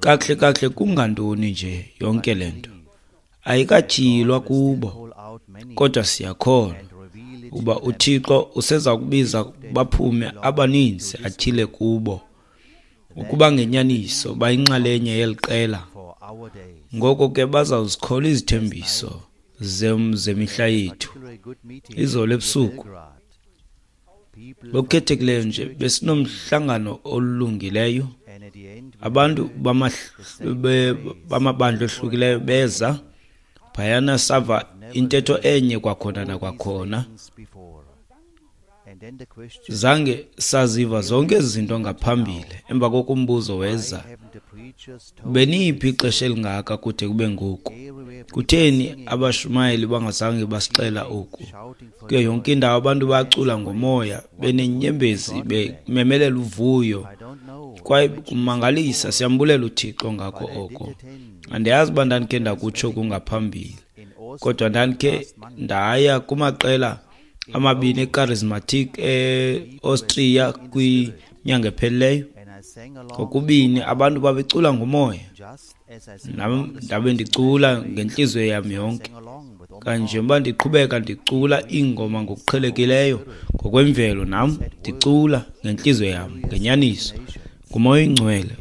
kakuhle kakuhle kungantoni nje yonke le nto? Ayikatyhilwa kubo, kodwa siyakholwa ukuba uThixo useza kubiza baphume abaninzi atyhile kubo, ukuba ngenyaniso bayinxalenye yeli qela. Ngoko ke bazawuzikholwa izithembiso zemihla yethu. Izolo ebusuku ngokukhethekileyo nje besinomhlangano olungileyo. Abantu bamabandla ohlukileyo beza phayana, sava intetho enye kwakhona nakwakhona. Zange saziva zonke ezi zinto ngaphambili. Emva koko umbuzo weza, beniphi ixesha elingaka kude kube ngoku? Kutheni abashumayeli bangazange basixela oku? Kuyo yonke indawo abantu bacula ngomoya, benenyembezi, bememelela uvuyo, kwaye kumangalisa. Siyambulela uThixo ngako oko. Andiyazi uba ndandikhe ndakutsho kungaphambili, kodwa ndandikhe ndaya kumaqela amabini echarismatic e-Austria kwinyanga ephelileyo. Kokubini abantu babecula ngomoya, nam ndabe ndicula ngentliziyo yam yonke. Kanje uba ndiqhubeka ndicula iingoma ngokuqhelekileyo ngokwemvelo, nam ndicula ngentliziyo yam ngenyaniso nguMoya oyiNgcwele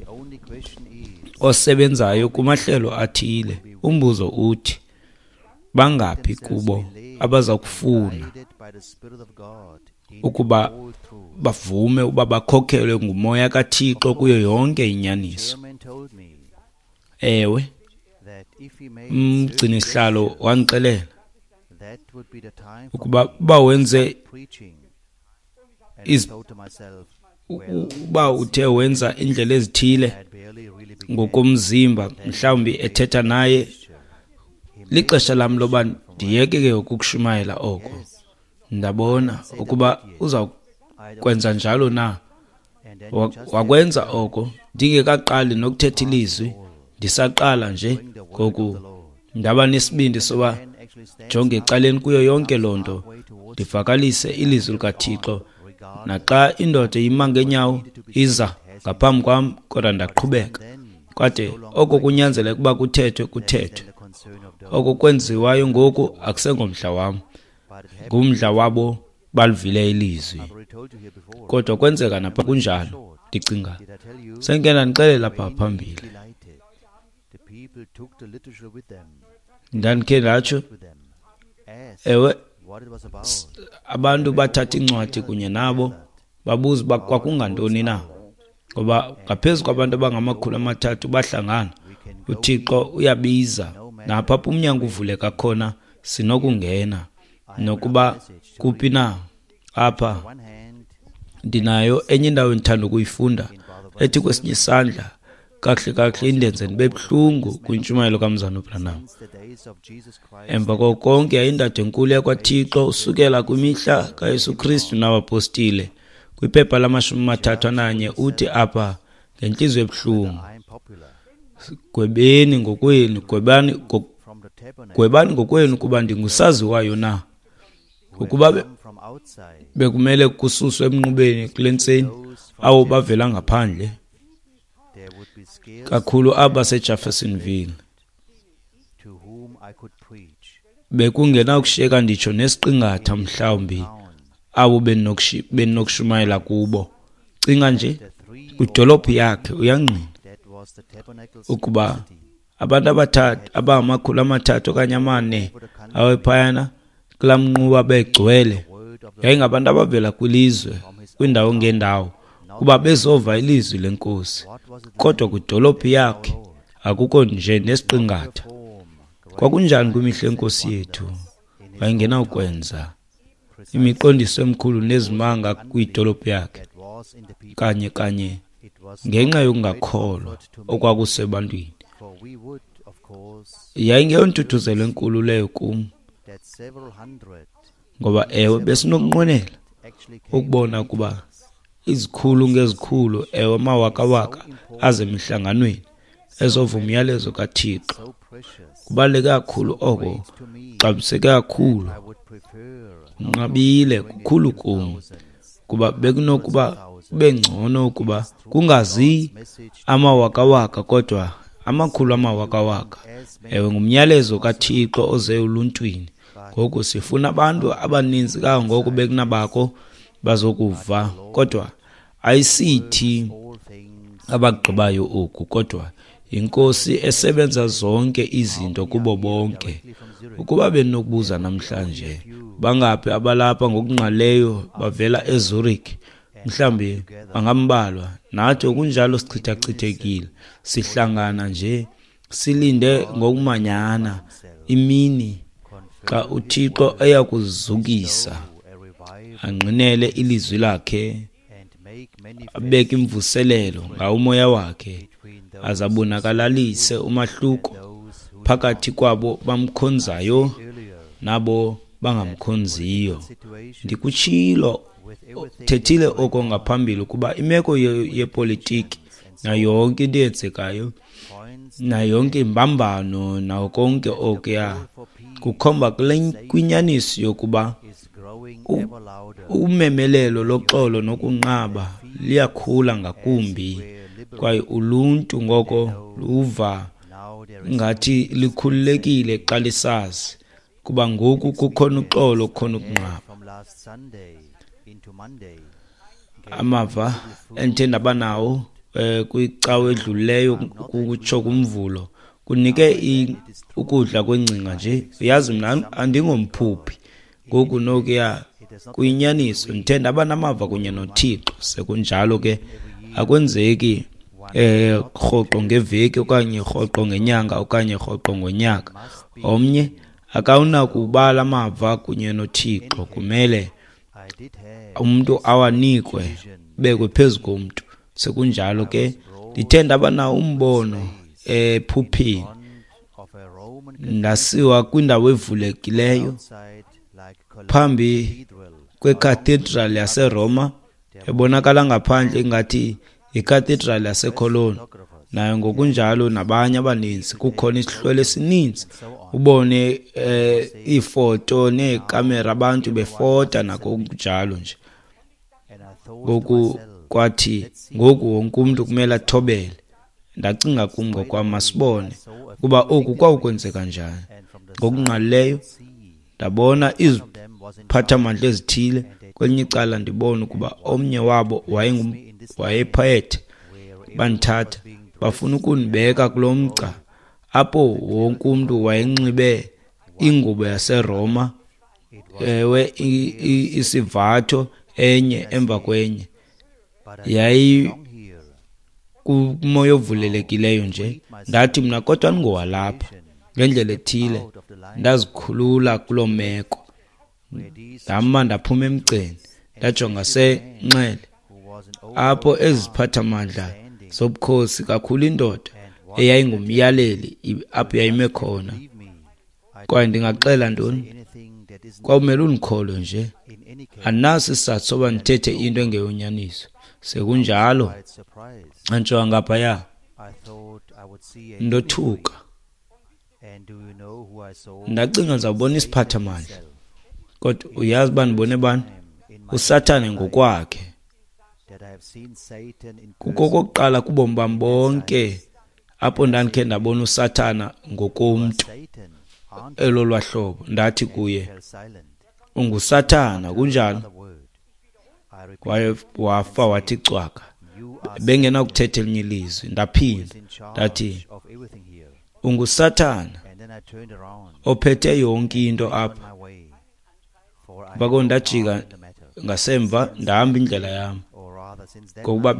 osebenzayo kumahlelo athile. Umbuzo uthi, bangaphi kubo abaza kufuna ukuba bavume uba bakhokhelwe nguMoya kaThixo kuyo yonke inyaniso? Ewe, umgcini-sihlalo wandixelela ukuba uba wenze uba uthe wenza indlela ezithile ngokomzimba, mhlawumbi ethetha naye, lixesha lam loba ndiyeke ke ukukushumayela oko. Ndabona ukuba uza kwenza njalo na. Wakwenza oko ndingekaqali nokuthetha ilizwi, ndisaqala nje ngoku. Ndaba nesibindi soba jonge ecaleni kuyo yonke loo nto, ndivakalise ilizwi likaThixo. Naxa indoda ima ngeenyawo iza ngaphambi kwam, kodwa ndaqhubeka. Kwade oko kunyanzeleka ukuba kuthethwe, kuthethwe. Oko kwenziwayo ngoku akusengomdla wam, ngumdla wabo balivile ilizwi. Kodwa kwenzeka napha kunjalo, ndicinga sendikhe ndandixelela apha phambili. Ndandikhe ndatsho, ewe, abantu bathatha incwadi kunye nabo, babuza uba kwakungantoni na, ngoba ngaphezu kwabantu abangamakhulu amathathu bahlangana. UThixo uyabiza, napha apho umnyango uvuleka khona sinokungena nokuba kuphi na. Apha ndinayo enye indawo endithanda ukuyifunda ethi kwesinye isandla kakuhle kakuhle indenze ndibe buhlungu kwintshumayelo kaMzana uBranham. Emva koko konke yayindado enkulu yakwaThixo usukela kwimihla kaYesu Kristu nabapostile. Kwiphepha lamashumi amathathu ananye uthi apha ngentliziyo ebuhlungu, gwebeni ngokwenu, gwebani gwebani ngokwenu kuba ndingusaziwayo na. Ukuba bekumele kususwe emnqubeni kule ntseni abo bavela ngaphandle, kakhulu abaseJeffersonville, bekungenakushiyeka nditsho nesiqingatha mhlawumbi abo bendinokushumayela kubo. Cinga nje, kwidolophu yakhe uyangqina Ukuba abantu abathathu abangamakhulu amathathu okanye amane awephayana kulaa mnquba begcwele, yayingabantu abavela kwilizwe, kwiindawo ngeendawo, kuba bezova ilizwi leNkosi. Kodwa kwidolophu yakhe akukho nje nesiqingatha. Kwakunjani kwimihla yeNkosi yethu? Wayengenawukwenza imiqondiso emikhulu nezimanga kwidolophu yakhe kanye kanye ngenxa yokungakholwa okwakusebantwini. Yayingeyontuthuzelo enkulu leyo kum, ngoba ewe besinokunqwenela ukubona ukuba izikhulu ngezikhulu, ewe amawakawaka aze emihlanganweni ezova umyalezo kaThixo. Kubaluleke kakhulu oko, kuxabiseke kakhulu, kunqabile kukhulu kum, kuba bekunokuba kube ngcono ukuba kungazi amawakawaka kodwa amakhulu amawakawaka. Ewe, ngumyalezo kaThixo oze uluntwini. Ngoku sifuna abantu abaninzi kangangoko bekunabako bazokuva, kodwa ayisithi abagqibayo oku, kodwa iNkosi esebenza zonke izinto kubo bonke. Ukuba benokubuza namhlanje, bangaphi abalapha ngokungqalileyo bavela eZurich? Mhlawumbi bangambalwa. Nathi okunjalo sichithachithekile, sihlangana nje silinde ngokumanyana imini xa uThixo eyakuzukisa, angqinele ilizwi lakhe, abeke imvuselelo ngawo umoya wakhe, azabonakalise umahluko phakathi kwabo bamkhonzayo nabo bangamkhonziyo. Ndikutshilo, thethile oko ngaphambili, ukuba imeko yepolitiki nayo yonke into eyenzekayo, nayo yonke imbambano, nawo konke okuya kukhomba kwinyaniso yokuba umemelelo loxolo nokunqaba liyakhula ngakumbi, kwaye uluntu ngoko luva ngathi likhululekile xa lisazi kuba ngoku kukhona uxolo, kukhona ukunqaba. Amava endithe ndaba nawo eh, kwicawa edlulileyo kutsho kumvulo kunike ukudla kwengcinga nje. Uyazi mna andingomphuphi, ngoku nokuya kuyinyaniso, ndithe ndaba namava kunye noThixo. Sekunjalo ke akwenzeki eh rhoqo ngeveki okanye rhoqo ngenyanga okanye rhoqo ngonyaka. Omnye akawunakubala amava kunye noThixo, kumele umuntu awanikwe bekwe phezu komntu. Sekunjalo ke ndithe ndaba nawo umbono ephupheni, ndasiwa kwindawo evulekileyo phambi kwecathedral yaseRoma, ebonakala ngaphandle ingathi yicathedral yaseCologne. Nayo ngokunjalo nabanye abaninzi, kukhona isihlwele esininzi, ubone eh, iifoto neekamera, abantu befota nako kunjalo nje. Ngoku kwathi ngoku wonke umntu kumele athobele. Ndacinga kum ngokwam, masibone ukuba oku kwawukwenzeka njani. Ngokungqalileyo ndabona iziphathamandla ezithile, kwelinye icala ndibona ukuba omnye wabo wayephethe. Bandithatha bafuna ukundibeka kulo mgca apho wonke umntu wayenxibe ingubo yaseRoma, ewe isivatho enye emva kwenye. Yayi kumoya ovulelekileyo nje. Ndathi mna kodwa andingowalapha. Ngendlela ethile ndazikhulula kuloo meko, ndama ndaphuma emgceni, ndajonga senxele apho eziphathamandla zobukhosi, kakhulu indoda eyayingumyaleli apho yayime khona. Kwaye ndingaxela ntoni? Kwawumele undikholwe nje, andinaso isizathu soba ndithethe into engeyonyaniso. Sekunjalo antsho ngaphaya, ndothuka. Ndacinga ndizawubona isiphathamandla, kodwa uyazi uba ndibone bani? USathane ngokwakhe. Kukokokuqala kubomi bam bonke apho ndandikhe ndabona uSathana ngokomntu elolwa hlobo. Ndathi kuye, unguSathana, kunjalo? Kwaye wafa wathi cwaka. Bengenakuthetha elinye ilizwi. Ndaphinda ndathi, unguSathana ophethe yonke into apha. Bako ndajika ngasemva ndahamba indlela yam, ngokuba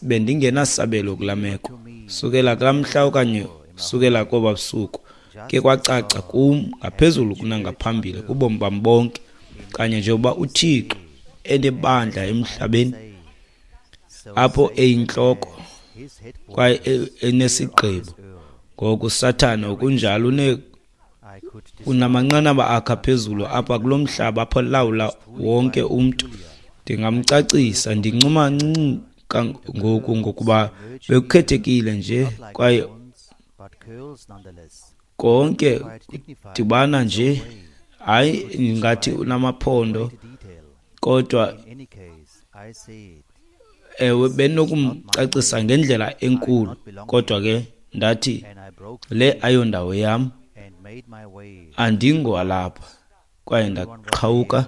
bendingenasabelo kulaa meko. Sukela kulaa mhla okanye sukela koba busuku ke kwacaca kum ngaphezulu kunangaphambili kubomi bam bonke, kanye njengoba uThixo enebandla emhlabeni apho eyintloko kwaye enesigqibo, ngoku uSathana okunjalo une unamanqanaba akhe aphezulu apha kulo mhlaba apho lawula wonke umntu. Ndingamcacisa, ndincuma ncinci ngoku ngokuba bekukhethekile nje kwaye konke dibana nje, hayi ngathi unamaphondo, kodwa ewe benokumcacisa ngendlela enkulu. Kodwa ke ndathi le ayondawo yam, andingowalapha. Kwaye ndaqhawuka,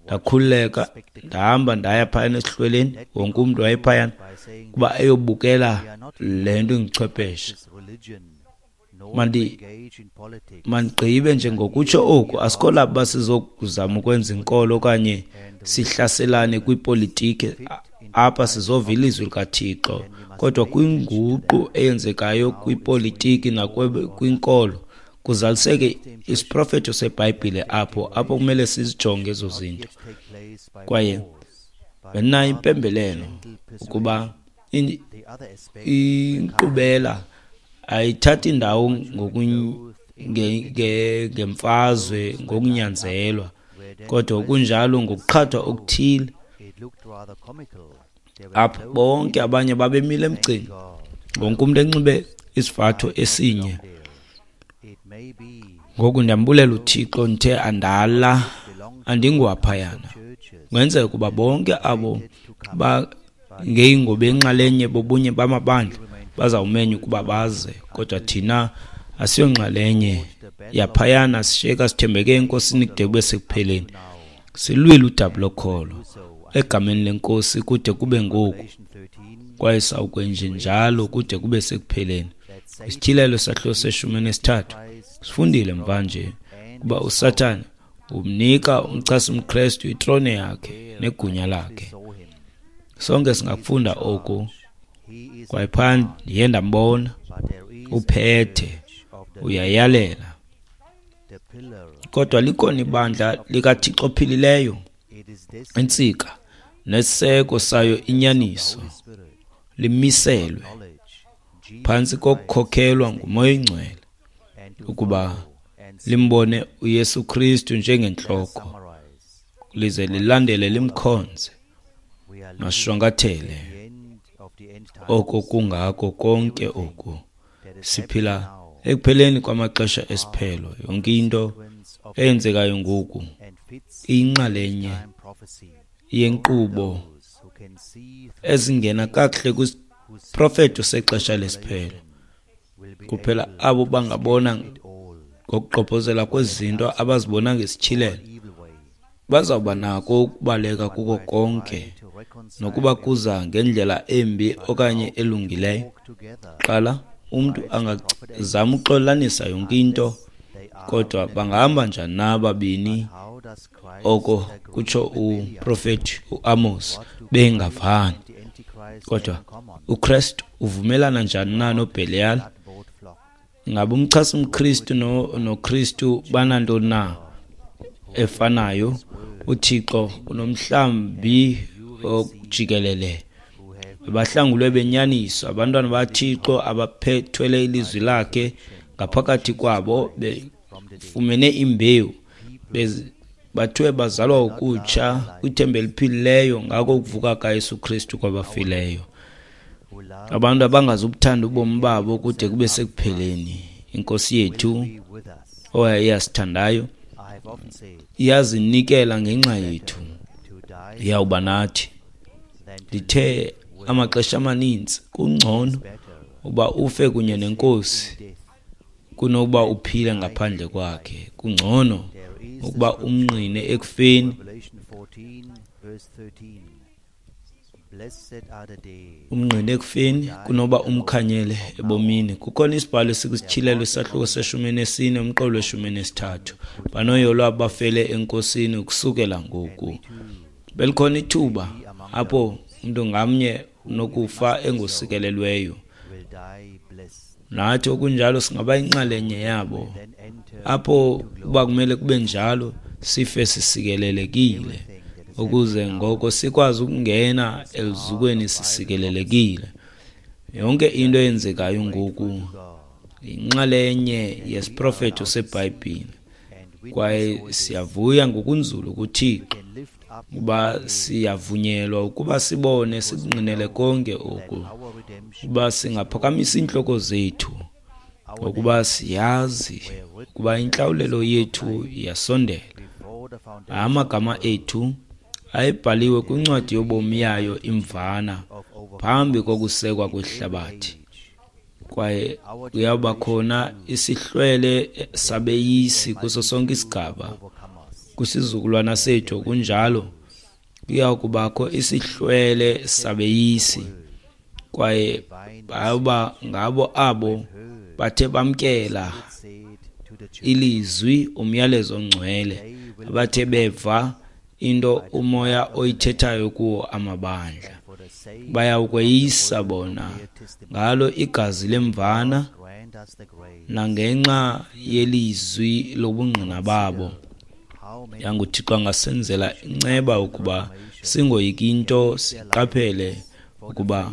ndakhululeka, ndahamba ndaya phayana esihlweleni. Wonke umntu wayephayana kuba eyobukela le nto inguchwepheshe. Mandi mandigqibe nje ngokutsho oku, asikho lapha sizokuzama ukwenza inkolo okanye sihlaselane kwipolitiki. Apha sizova ilizwi likaThixo, kodwa kwinguqu eyenzekayo kwipolitiki nakwinkolo kuzaliseke isiprofeto seBhayibhile apho apho kumele sizijonge ezo zinto. Kwaye bendinayo impembelelo ukuba inkqubela ayithathi indawo ngemfazwe ngokunyanzelwa, kodwa kunjalo ngokuqhathwa okuthile. Apho bonke abanye babemile emgceni, wonke umntu enxibe isivatho esinye. Ngoku ndiyambulela uThixo, ndithe andala andingowaphayana. Kungenzeka ukuba bonke abo bangeyingobenxalenye bobunye bamabandla bazawumenywa ukuba baze, kodwa thina asiyonxalenye yaphayana. Sishiyeka sithembeke eNkosini kude kube sekupheleni. Silwile udabi lokholo egameni leNkosi kude kube ngoku, kwaye sawukwenje njalo kude kube sekupheleni. Isityhilelo sahluko seshumi nesithathu sifundile mvanje kuba uSathane umnika umchasi umKristu itrone yakhe negunya lakhe. Sonke singakufunda oku. Kwaye phaa ndiye ndambona uphethe, uyayalela, kodwa likhona ibandla likaThixo ophilileyo, intsika nesiseko sayo inyaniso, limiselwe phantsi kokukhokhelwa nguMoya oyiNgcwele ukuba limbone uYesu Kristu njengentloko, lize lilandele limkhonze mashwankathele oko kungako konke oku. Siphila ekupheleni kwamaxesha esiphelo. Yonke into eyenzekayo ngoku iyinxalenye yenkqubo ezingena kakuhle kwisiprofeto sexesha lesiphelo. Kuphela abo bangabona ngokugqobhozela kwezinto abazibona ngesityhilelo bazawuba nako ukubaleka kuko konke, nokuba kuza ngendlela embi okanye elungileyo. Qala umntu angazama uxolanisa yonke into, kodwa bangahamba njani na ababini? Oko kutsho uprofeti uAmos, bengavani. Kodwa uKristu uvumelana njani na noBhelial? Ingaba umchasi umKristu noKristu banantoni na efanayo? uThixo unomhlambi ojikelele, abahlangulwe benyaniso, abantwana baThixo abaphethwele ilizwi lakhe ngaphakathi kwabo, befumene imbewu, bathiwe bazalwa ukutsha kwithemba eliphilileyo ngako ukuvuka kaYesu Kristu kwabafileyo. Abantu abangazubuthanda ubomi babo kude kube sekupheleni. INkosi yethu owayeyasithandayo iyazinikela ngenxa yethu, iyawuba nathi. Ndithe amaxesha amaninzi kungcono uba ufe kunye neNkosi kunokuba uphile ngaphandle kwakhe. Kungcono ukuba umnqine ekufeni Umngqine ekufeni kunoba umkhanyele ebomini. Kukhona isibhalo esikwisityhilelo isahluko seshumi nesine umqolo weshumi nesithathu. Banoyolo abafele enkosini ukusukela ngoku. Belikhona ithuba apho umntu ngamnye unokufa engosikelelweyo. Nathi okunjalo singaba inxalenye yabo. Apho uba kumele kube njalo sife sisikelelekile, ukuze ngoko sikwazi ukungena eluzukweni sisikelelekile. Yonke into eyenzekayo ngoku yinxalenye yesiprofeto seBhayibhile, kwaye siyavuya ngokunzulu kuThixo uba siyavunyelwa ukuba sibone sikungqinele konke oku, uba singaphakamisa iintloko zethu ngokuba siyazi ukuba intlawulelo yethu iyasondela. Amagama ethu ayebhaliwe kwincwadi yobomi yayo imvana phambi kokusekwa kwehlabathi, kwaye kuyawuba khona isihlwele sabeyisi kuso sonke isigaba kwisizukulwana sethu. Kunjalo kuya kubakho isihlwele sabeyisi, kwaye bayawuba ngabo abo bathe bamkela ilizwi umyalezo ongcwele, abathe beva into umoya oyithethayo kuwo amabandla. Bayawukweyisa bona ngalo igazi lemvana nangenxa yelizwi lobungqina babo. YanguThixo angasenzela inceba ukuba singoyiki into, siqaphele ukuba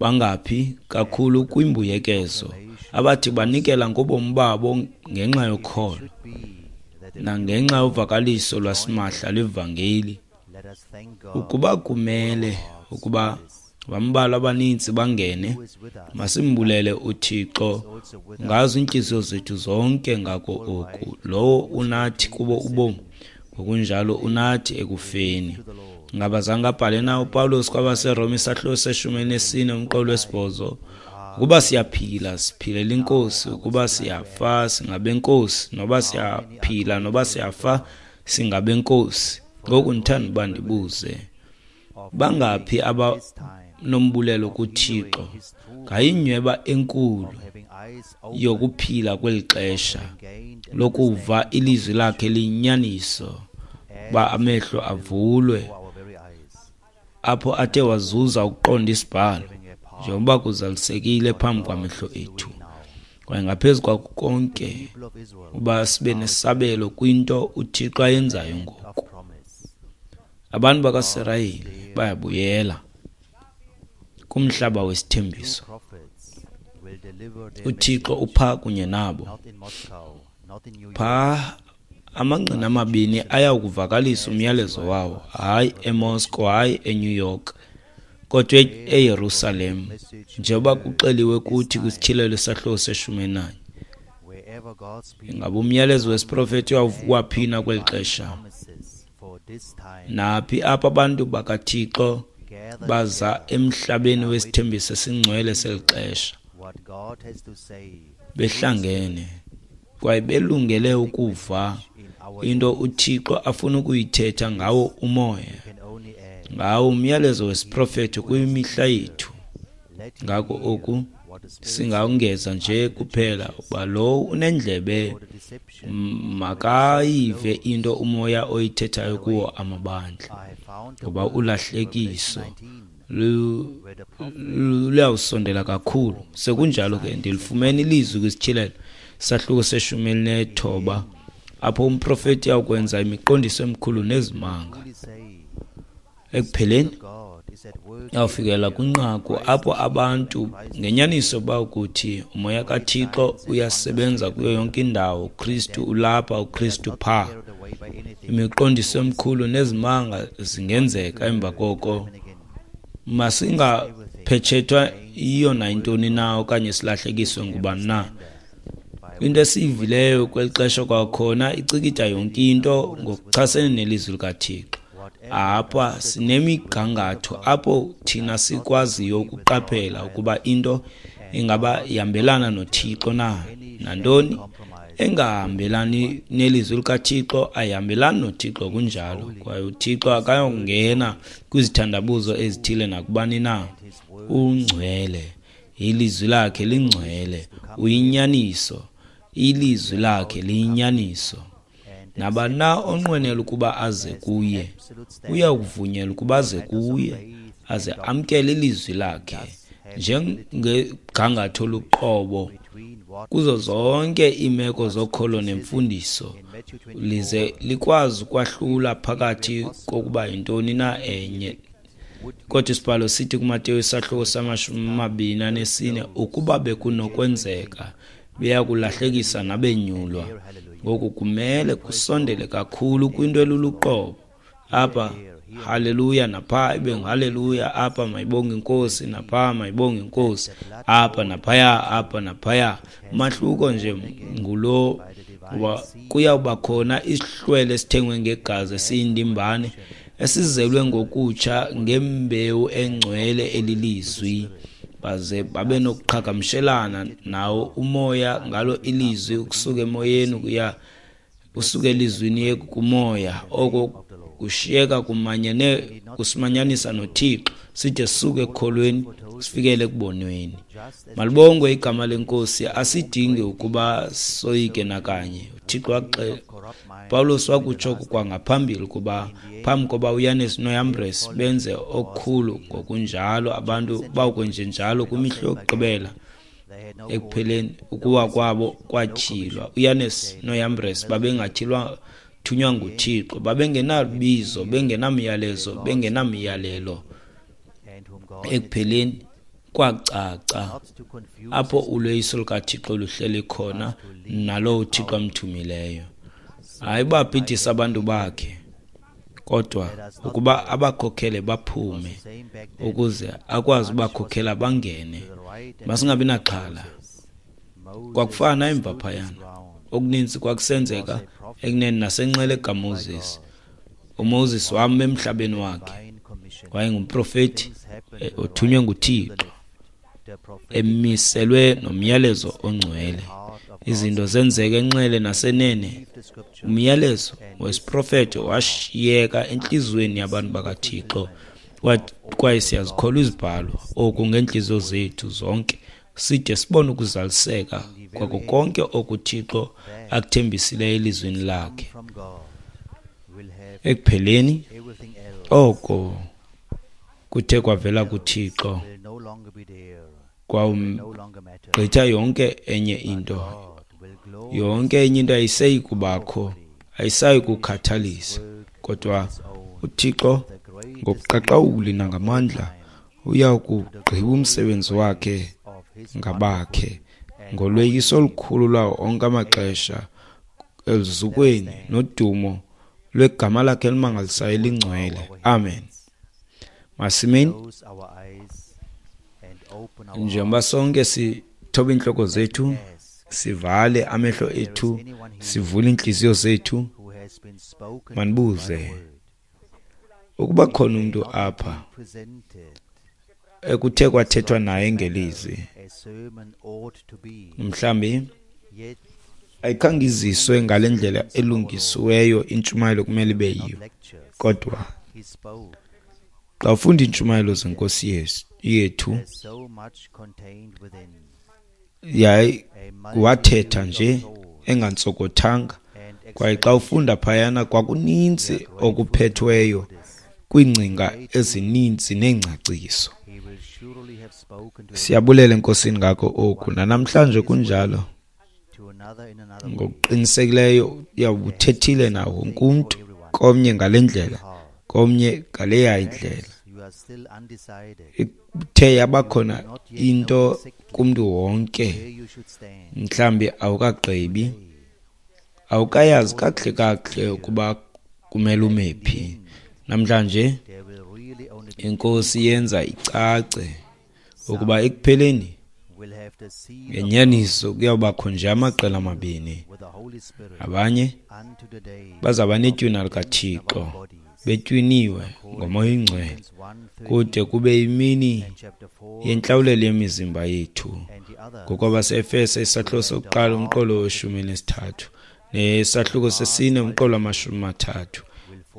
bangaphi kakhulu kwimbuyekezo abathi banikela ngobomi babo ngenxa yokholo nangenxa yovakaliso lwasimahla lwevangeli. Ukuba kumele ukuba bambalwa abaninzi bangene, masimbulele uThixo ngazo iintliziyo zethu zonke ngako oku. Lowo unathi kubo ubomi, ngokunjalo unathi ekufeni. Ngaba zange abhale na uPawulos kwabaseRoma isahluko seshumi nesine umqolo wesibhozo? Ukuba siyaphila siphilela iNkosi, ukuba siyafa singabenkosi, noba siyaphila noba siyafa singabenkosi. Ngoku ndithanda uba ndibuze, bangaphi abanombulelo kuThixo ngayinyweba enkulu yokuphila kweli xesha lokuva ilizwi lakhe liyinyaniso, uba amehlo avulwe apho athe wazuza ukuqonda isibhalo njengoba kuzalisekile phambi kwamehlo ethu, kwaye ngaphezu kwako konke uba sibe nesabelo kwinto uThixo ayenzayo ngoku. Abantu bakaSirayeli bayabuyela kumhlaba wesithembiso. uThixo upha kunye nabo. Pha amangqina amabini ayawukuvakalisa umyalezo wawo, hayi eMoscow, hayi eNew York, kodwa eYerusalem, njengoba kuxeliwe kuthi kwisityhilelo isahluko seshumi nanye. Ingaba umyalezo wesiprofeto uyawuvukwa phi na kweli xesha? Naphi apho abantu bakaThixo baza emhlabeni wesithembiso esingcwele seli xesha, behlangene kwaye belungele ukuva into uThixo afuna ukuyithetha ngawo umoya, ngawo umyalezo wesiprofeto kwimihla yethu. Ngako oku singawungeza nje kuphela uba lowo unendlebe makayive into umoya oyithethayo kuwo amabandla, ngoba ulahlekiso luyawusondela kakhulu. Sekunjalo ke ndilifumene ilizwi kwisityhilelo sahluko seshumi elinethoba apho umprofeti uyawukwenza imiqondiso emikhulu nezimanga. Ekupheleni yawufikela kwinqaku apho abantu ngenyaniso bawukuthi umoya kaThixo uyasebenza kuyo yonke indawo, uKristu ulapha, uKristu pha. Imiqondiso emikhulu nezimanga zingenzeka. Emva koko masingaphetshethwa yiyo nayintoni na okanye silahlekiswe ngubani na. Into esiyivileyo kweli xesha kwakhona icikida yonke into ngokuchasene nelizwi likaThixo. Apha sinemigangatho apho thina sikwaziyo ukuqaphela ukuba into ingaba ihambelana noThixo na, nantoni Engahambelani nelizwi likaThixo, ayihambelani noThixo kunjalo. Kwaye uThixo akayongena kwizithandabuzo ezithile nakubani na. Ungcwele, ilizwi lakhe lingcwele, uyinyaniso, ilizwi lakhe liyinyaniso. Nabani na onqwenela ukuba aze kuye, uyakuvunyelwa ukuba aze kuye, aze amkele ilizwi lakhe njengegangatho luqobo kuzo zonke iimeko zokholo nemfundiso, lize likwazi ukwahlula phakathi kokuba yintoni na enye. Kodwa isibhalo sithi kuMateyu isahluko samashumi amabini anesine, ukuba bekunokwenzeka beyakulahlekisa nabenyulwa. Ngoku kumele kusondele kakhulu kwinto eluluqobo. Apha haleluya, napha ibe nguhaleluya, apha mayibonge inkosi, napha mayibonge inkosi, apha naphaya, apha naphaya. Umahluko nje ngulo uba kuyawuba khona isihlwele esithengwe ngegazi esiyindimbane esizelwe ngokutsha ngembewu engcwele elilizwi, baze babe nokuqhagamshelana nawo umoya ngalo ilizwi, ukusuka emoyeni ukuya usuke elizwini kumoya. Oko kushiyeka kumanyene kusimanyanisa noThixo, side sisuke ekukholweni sifikele ekubonweni. Malibongwe igama lenkosi. Asidingi ukuba soyike nakanye. uThixo waxela, Pawulos wakutsho kwangaphambili ukuba phambi koba uYanes noYambres benze okukhulu, ngokunjalo abantu bawukwenjenjalo kwimihla yokugqibela. Ekupheleni ukuwa kwabo kwatyhilwa. uYanes noYambres babengatyhilwa thunywa nguThixo, babengenabizo, bengenamyalezo, bengenamyalelo. Ekupheleni kwacaca apho uloyiso lukaThixo luhleli khona nalowo uThixo amthumileyo. Hayi babhidisa abantu bakhe, kodwa ukuba abakhokhele baphume ukuze akwazi ubakhokhela bangene. Masingabi naxhala. Kwakufana emva phayana, okuninzi kwakusenzeka ekunene nasenxele kaMoses. uMoses wama emhlabeni wakhe, wayengumprofeti othunywe nguThixo, emiselwe nomyalezo ongcwele. Izinto zenzeka enxele nasenene. Umyalezo wesiprofeto washiyeka entliziyweni yabantu bakaThixo, kwaye siyazikholwa izibhalo oku ngeentliziyo zethu zonke, side sibone ukuzaliseka kwako konke okuThixo akuthembisileyo elizwini lakhe. Ekupheleni oko kuthe kwavela kuThixo kwawugqitha yonke enye into. Yonke enye into ayiseyi kubakho, ayisayi kukhathalisa, kodwa uThixo ngobuqaqawuli nangamandla uya kugqiba umsebenzi wakhe ngabakhe ngolweyiso olukhulu lwawo onke amaxesha eluzukweni nodumo lwegama lakhe elimangalisayo elingcwele. Amen. Masimeni njengoba sonke sithoba iintloko zethu, sivale amehlo ethu, sivule iintliziyo zethu, manibuze ukuba khona umntu apha ekuthe kwathethwa naye ngelizwi, mhlambi ayikhange iziswe ngale ndlela elungisiweyo intshumayelo kumele ibe yiyo, kodwa xa ufunda iintshumayelo zenkosi yethu, yayi wathetha nje engantsokothanga, kwaye xa ufunda phayana kwakuninzi okuphethweyo kwiingcinga ezininzi neengcaciso. Siyabulela enkosini ngako oku, nanamhlanje kunjalo. Ngokuqinisekileyo uyawuthethile nawo wonke umntu, komnye ngale ndlela, komnye ngaleya indlela. Ithe yabakhona into kumntu wonke, mhlambi awukagqibi, awukayazi kakuhle kakuhle ukuba kumele ume phi. Namhlanje inkosi yenza icace ukuba ekupheleni Ngenyaniso kuyawubakho nje amaqela amabini. Abanye bazawuba netywina likaThixo, betywiniwe ngoMoya oyiNgcwele, kude kube yimini yentlawulelo yemizimba yethu. NgokwabasEfese isahluko sokuqala umqolo weshumi nesithathu nesahluko sesine umqolo wamashumi mathathu.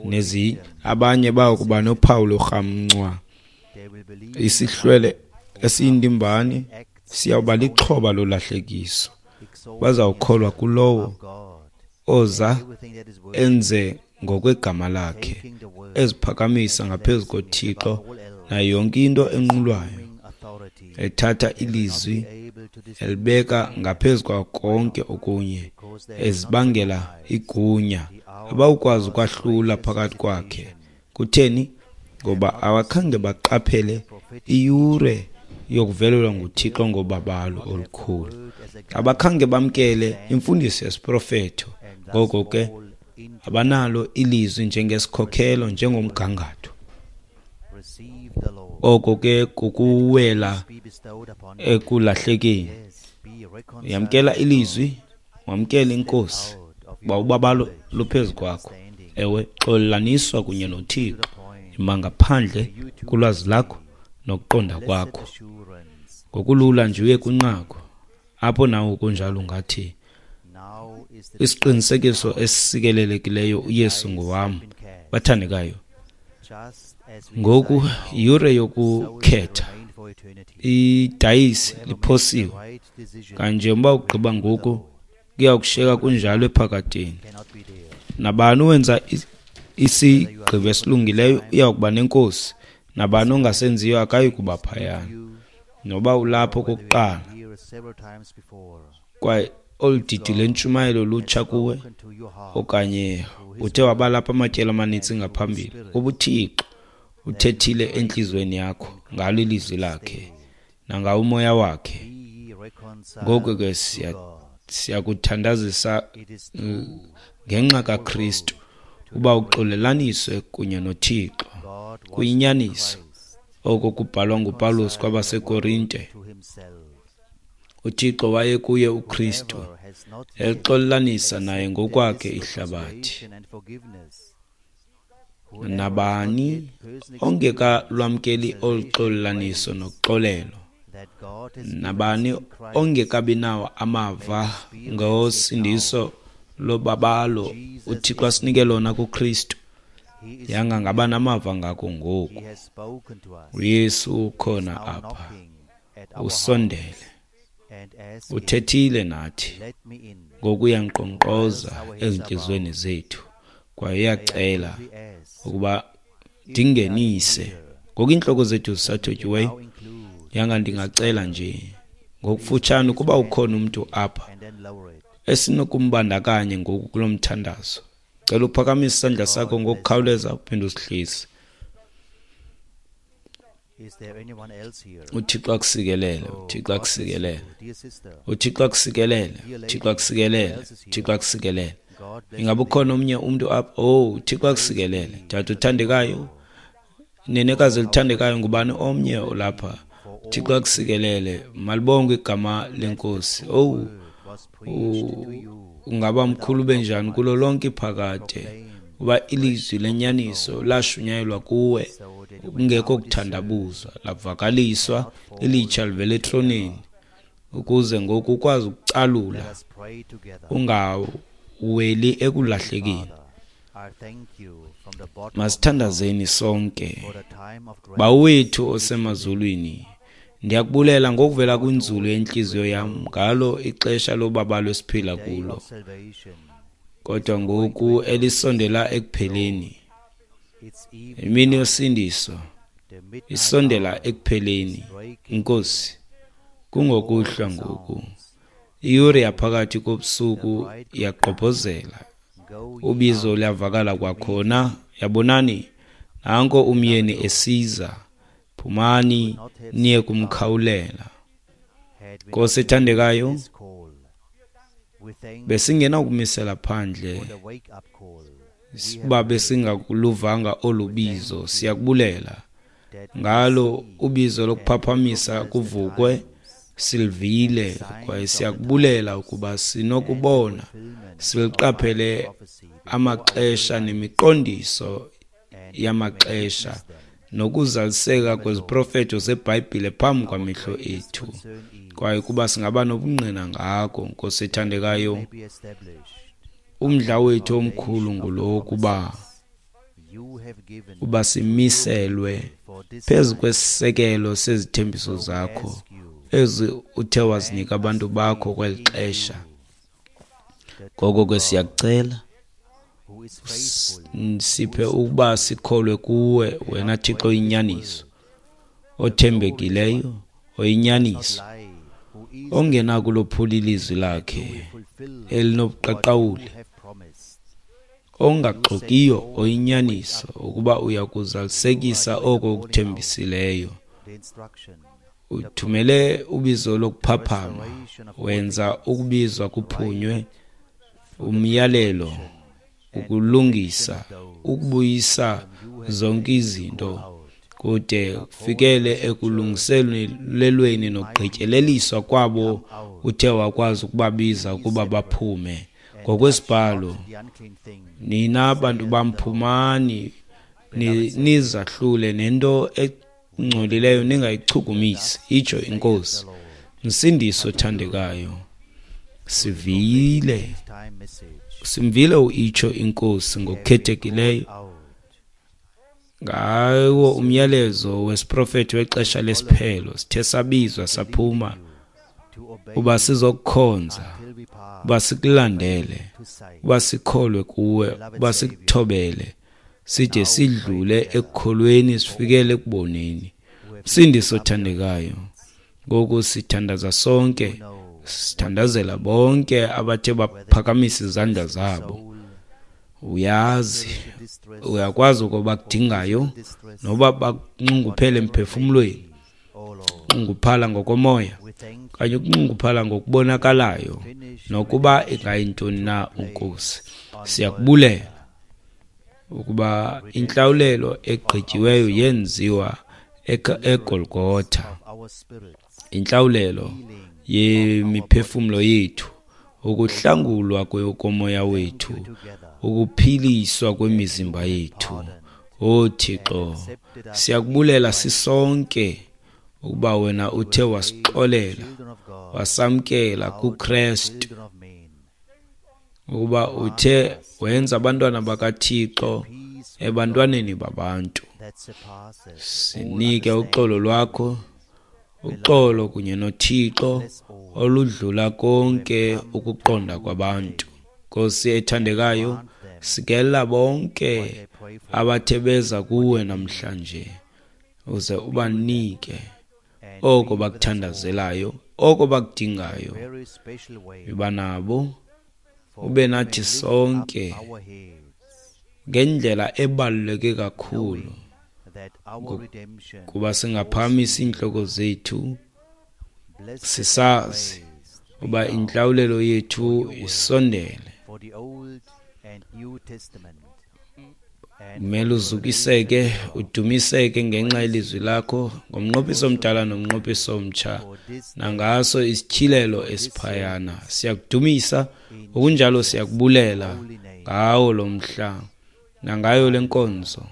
Nezi abanye bayokuba nophawu lorhamncwa. Isihlwele esiyindimbane siyawuba lixhoba lolahlekiso. Bazawukholwa kulowo oza enze ngokwegama lakhe, eziphakamisa ngaphezu koThixo nayo yonke into enqulwayo, ethatha ilizwi elibeka ngaphezu kwa konke okunye, ezibangela igunya. Abawukwazi ukwahlula phakathi kwakhe. Kutheni? Ngoba awakhange baqaphele iyure yokuvelelwa nguThixo ngobabalo olukhulu. Abakhange bamkele imfundiso yesiprofeto. Ngoko ke abanalo ilizwi njengesikhokhelo, njengomgangatho. Oko ke kukuwela ekulahlekeni. Yamkela ilizwi, wamkela inkosi, uba ubabalo luphezu kwakho. Ewe, xolelaniswa kunye noThixo. Ima ngaphandle kulwazi lakho nokuqonda kwakho. Ngokulula nje uye kwinqaku apho nawe kunjalo ungathi isiqinisekiso esisikelelekileyo uYesu ngowam. Bathandekayo, ngoku yure yokukhetha. Idayisi liphosiwe. Kanje uba ugqiba ngoku kuya kushiyeka kunjalo ephakadeni. Nabani owenza isigqibo esilungileyo uya kuba nenkosi, nabani ongasenziyo akayi kuba phayana. Noba ulapho okokuqala kwaye olu didi lwentshumayelo lutsha kuwe, okanye uthe wabalapha amatyeli amanintsi ngaphambili, ubuThixo uthethile entliziyweni yakho ngalo ilizwi lakhe nangawo umoya wakhe. Ngoko ke siyakuthandazisa ngenxa kaKristu uba uxolelaniswe kunye noThixo. Kuyinyaniso oko kubhalwa nguPawulos kwabaseKorinte. UThixo waye kuye uKristu exolelanisa naye ngokwakhe ihlabathi. Nabani ongekalwamkeli olu xolelaniso noxolelo, nabani ongekabi nawo amava ngosindiso lobabalo uThixo asinike lona kuKristu, yanga ngaba namava ngako ngoku. uYesu ukhona apha, usondele, uthethile nathi ngoku uyankqonkqoza ezintliziyweni zethu kwaye uyacela ukuba ndingenise. Ngoku iintloko zethu zisathotyuweyo, yanga ndingacela nje ngokufutshane ukuba ukhona umntu apha esinokumbandakanya ngoku kulo mthandazo. Cela uphakamise isandla sakho ngokukhawuleza uphinde usihlise. uThixo akusikelele, uThixo akusikelele, uThixo akusikelele, uThixo akusikelele, uThixo akusikelele. Ingaba ukhona omnye umntu apha? Oh, uThixo akusikelele. Tata uthandekayo, nenekazi elithandekayo, ngubani omnye olapha? uThixo akusikelele. Malibongwe igama lenkosi. Oh, ungaba mkhulu benjani kulo lonke iphakade, uba ilizwi lenyaniso lashunyayelwa kuwe kungekho kuthandabuzwa, lavakaliswa ilitsha livela etroneni, ukuze ngoku ukwazi ukucalula ungaweli ekulahlekeni. Masithandazeni sonke. Bawo wethu osemazulwini, ndiyakubulela ngokuvela kwinzulu yentliziyo yam ngalo ixesha lobabalo esiphila kulo, kodwa ngoku elisondela ekupheleni. Imini yosindiso isondela ekupheleni. Inkosi, kungokuhlwa ngoku. Iyure yaphakathi kobusuku iyagqobhozela, ubizo luyavakala kwakhona. Yabonani, nanko umyeni esiza, phumani niye kumkhawulela. Nkosi ethandekayo, besingenakumisela phandle uba besingakuluvanga olu bizo. Siyakubulela ngalo ubizo lokuphaphamisa kuvukwe, Silivile kwaye siyakubulela ukuba sinokubona siliqaphele amaxesha nemiqondiso yamaxesha nokuzaliseka kweziprofeto zeBhayibhile phambi kwamehlo ethu, kwaye kuba singaba nobungqina ngako. Nkosi ethandekayo, umdla wethu omkhulu ngulo kuba uba simiselwe phezu kwesisekelo sezithembiso zakho ezi uthe wazinika abantu bakho kweli xesha. Ngoko ke siyakucela siphe ukuba sikholwe kuwe, wena Thixo oyinyaniso, othembekileyo, oyinyaniso, ongenakulophula ilizwi lakhe elinobuqaqawuli, ongaxokiyo, oyinyaniso, ukuba uya kuzalisekisa oko ukuthembisileyo. Uthumele ubizo lokuphaphama, wenza ukubizwa kuphunywe, umyalelo, ukulungisa, ukubuyisa zonke izinto kude kufikele ekulungiselelweni nokugqityeleliswa kwabo uthe wakwazi ukubabiza ukuba baphume. Ngokwesibhalo, nina bantu bam, phumani nizahlule nento engcolileyo ningayichukumisi, itsho iNkosi. Msindisi othandekayo, sivile simvile uitsho iNkosi ngokukhethekileyo ngawo umyalezo wesiprofeto wexesha lesiphelo. Sithe sabizwa saphuma uba sizokukhonza, uba sikulandele, uba sikholwe kuwe, uba sikuthobele, side sidlule ekukholweni sifikele ekuboneni. Msindisi othandekayo, ngoku sithandaza sonke, sithandazela bonke abathe baphakamisa izandla zabo. Uyazi, uyakwazi ukuba bakudingayo, noba bakunxunguphele emphefumlweni, ukunxunguphala ngokomoya okanye ukunxunguphala ngokubonakalayo, nokuba ingayintoni na. Unkosi, siyakubulela ukuba intlawulelo egqityiweyo yenziwa eGolgotha, intlawulelo yemiphefumlo yethu, ukuhlangulwa komoya wethu, ukuphiliswa kwemizimba yethu. O Thixo, siyakubulela sisonke ukuba wena uthe wasixolela, wasamkela kuKristu, ukuba uthe wenza abantwana bakaThixo ebantwaneni babantu. Sinike uxolo lwakho, uxolo kunye noThixo oludlula konke ukuqonda kwabantu. Nkosi ethandekayo, sikelela bonke abathe beza kuwe namhlanje, uze ubanike oko bakuthandazelayo, oko bakudingayo. Yiba nabo, ube nathi sonke ngendlela ebaluleke kakhulu, kuba singaphakamisa iintloko zethu sisazi uba intlawulelo yethu isondele. Kumele uzukiseke, udumiseke ngenxa yelizwi lakho, ngomnqophiso omdala nomnqophiso omtsha, nangaso isityhilelo esiphayana. Siyakudumisa, ngokunjalo siyakubulela ngawo lo mhla nangayo le nkonzo,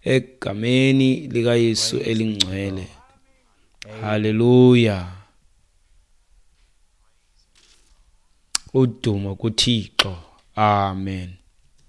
egameni likaYesu elingcwele. Haleluya. Udumo kuThixo. Amen.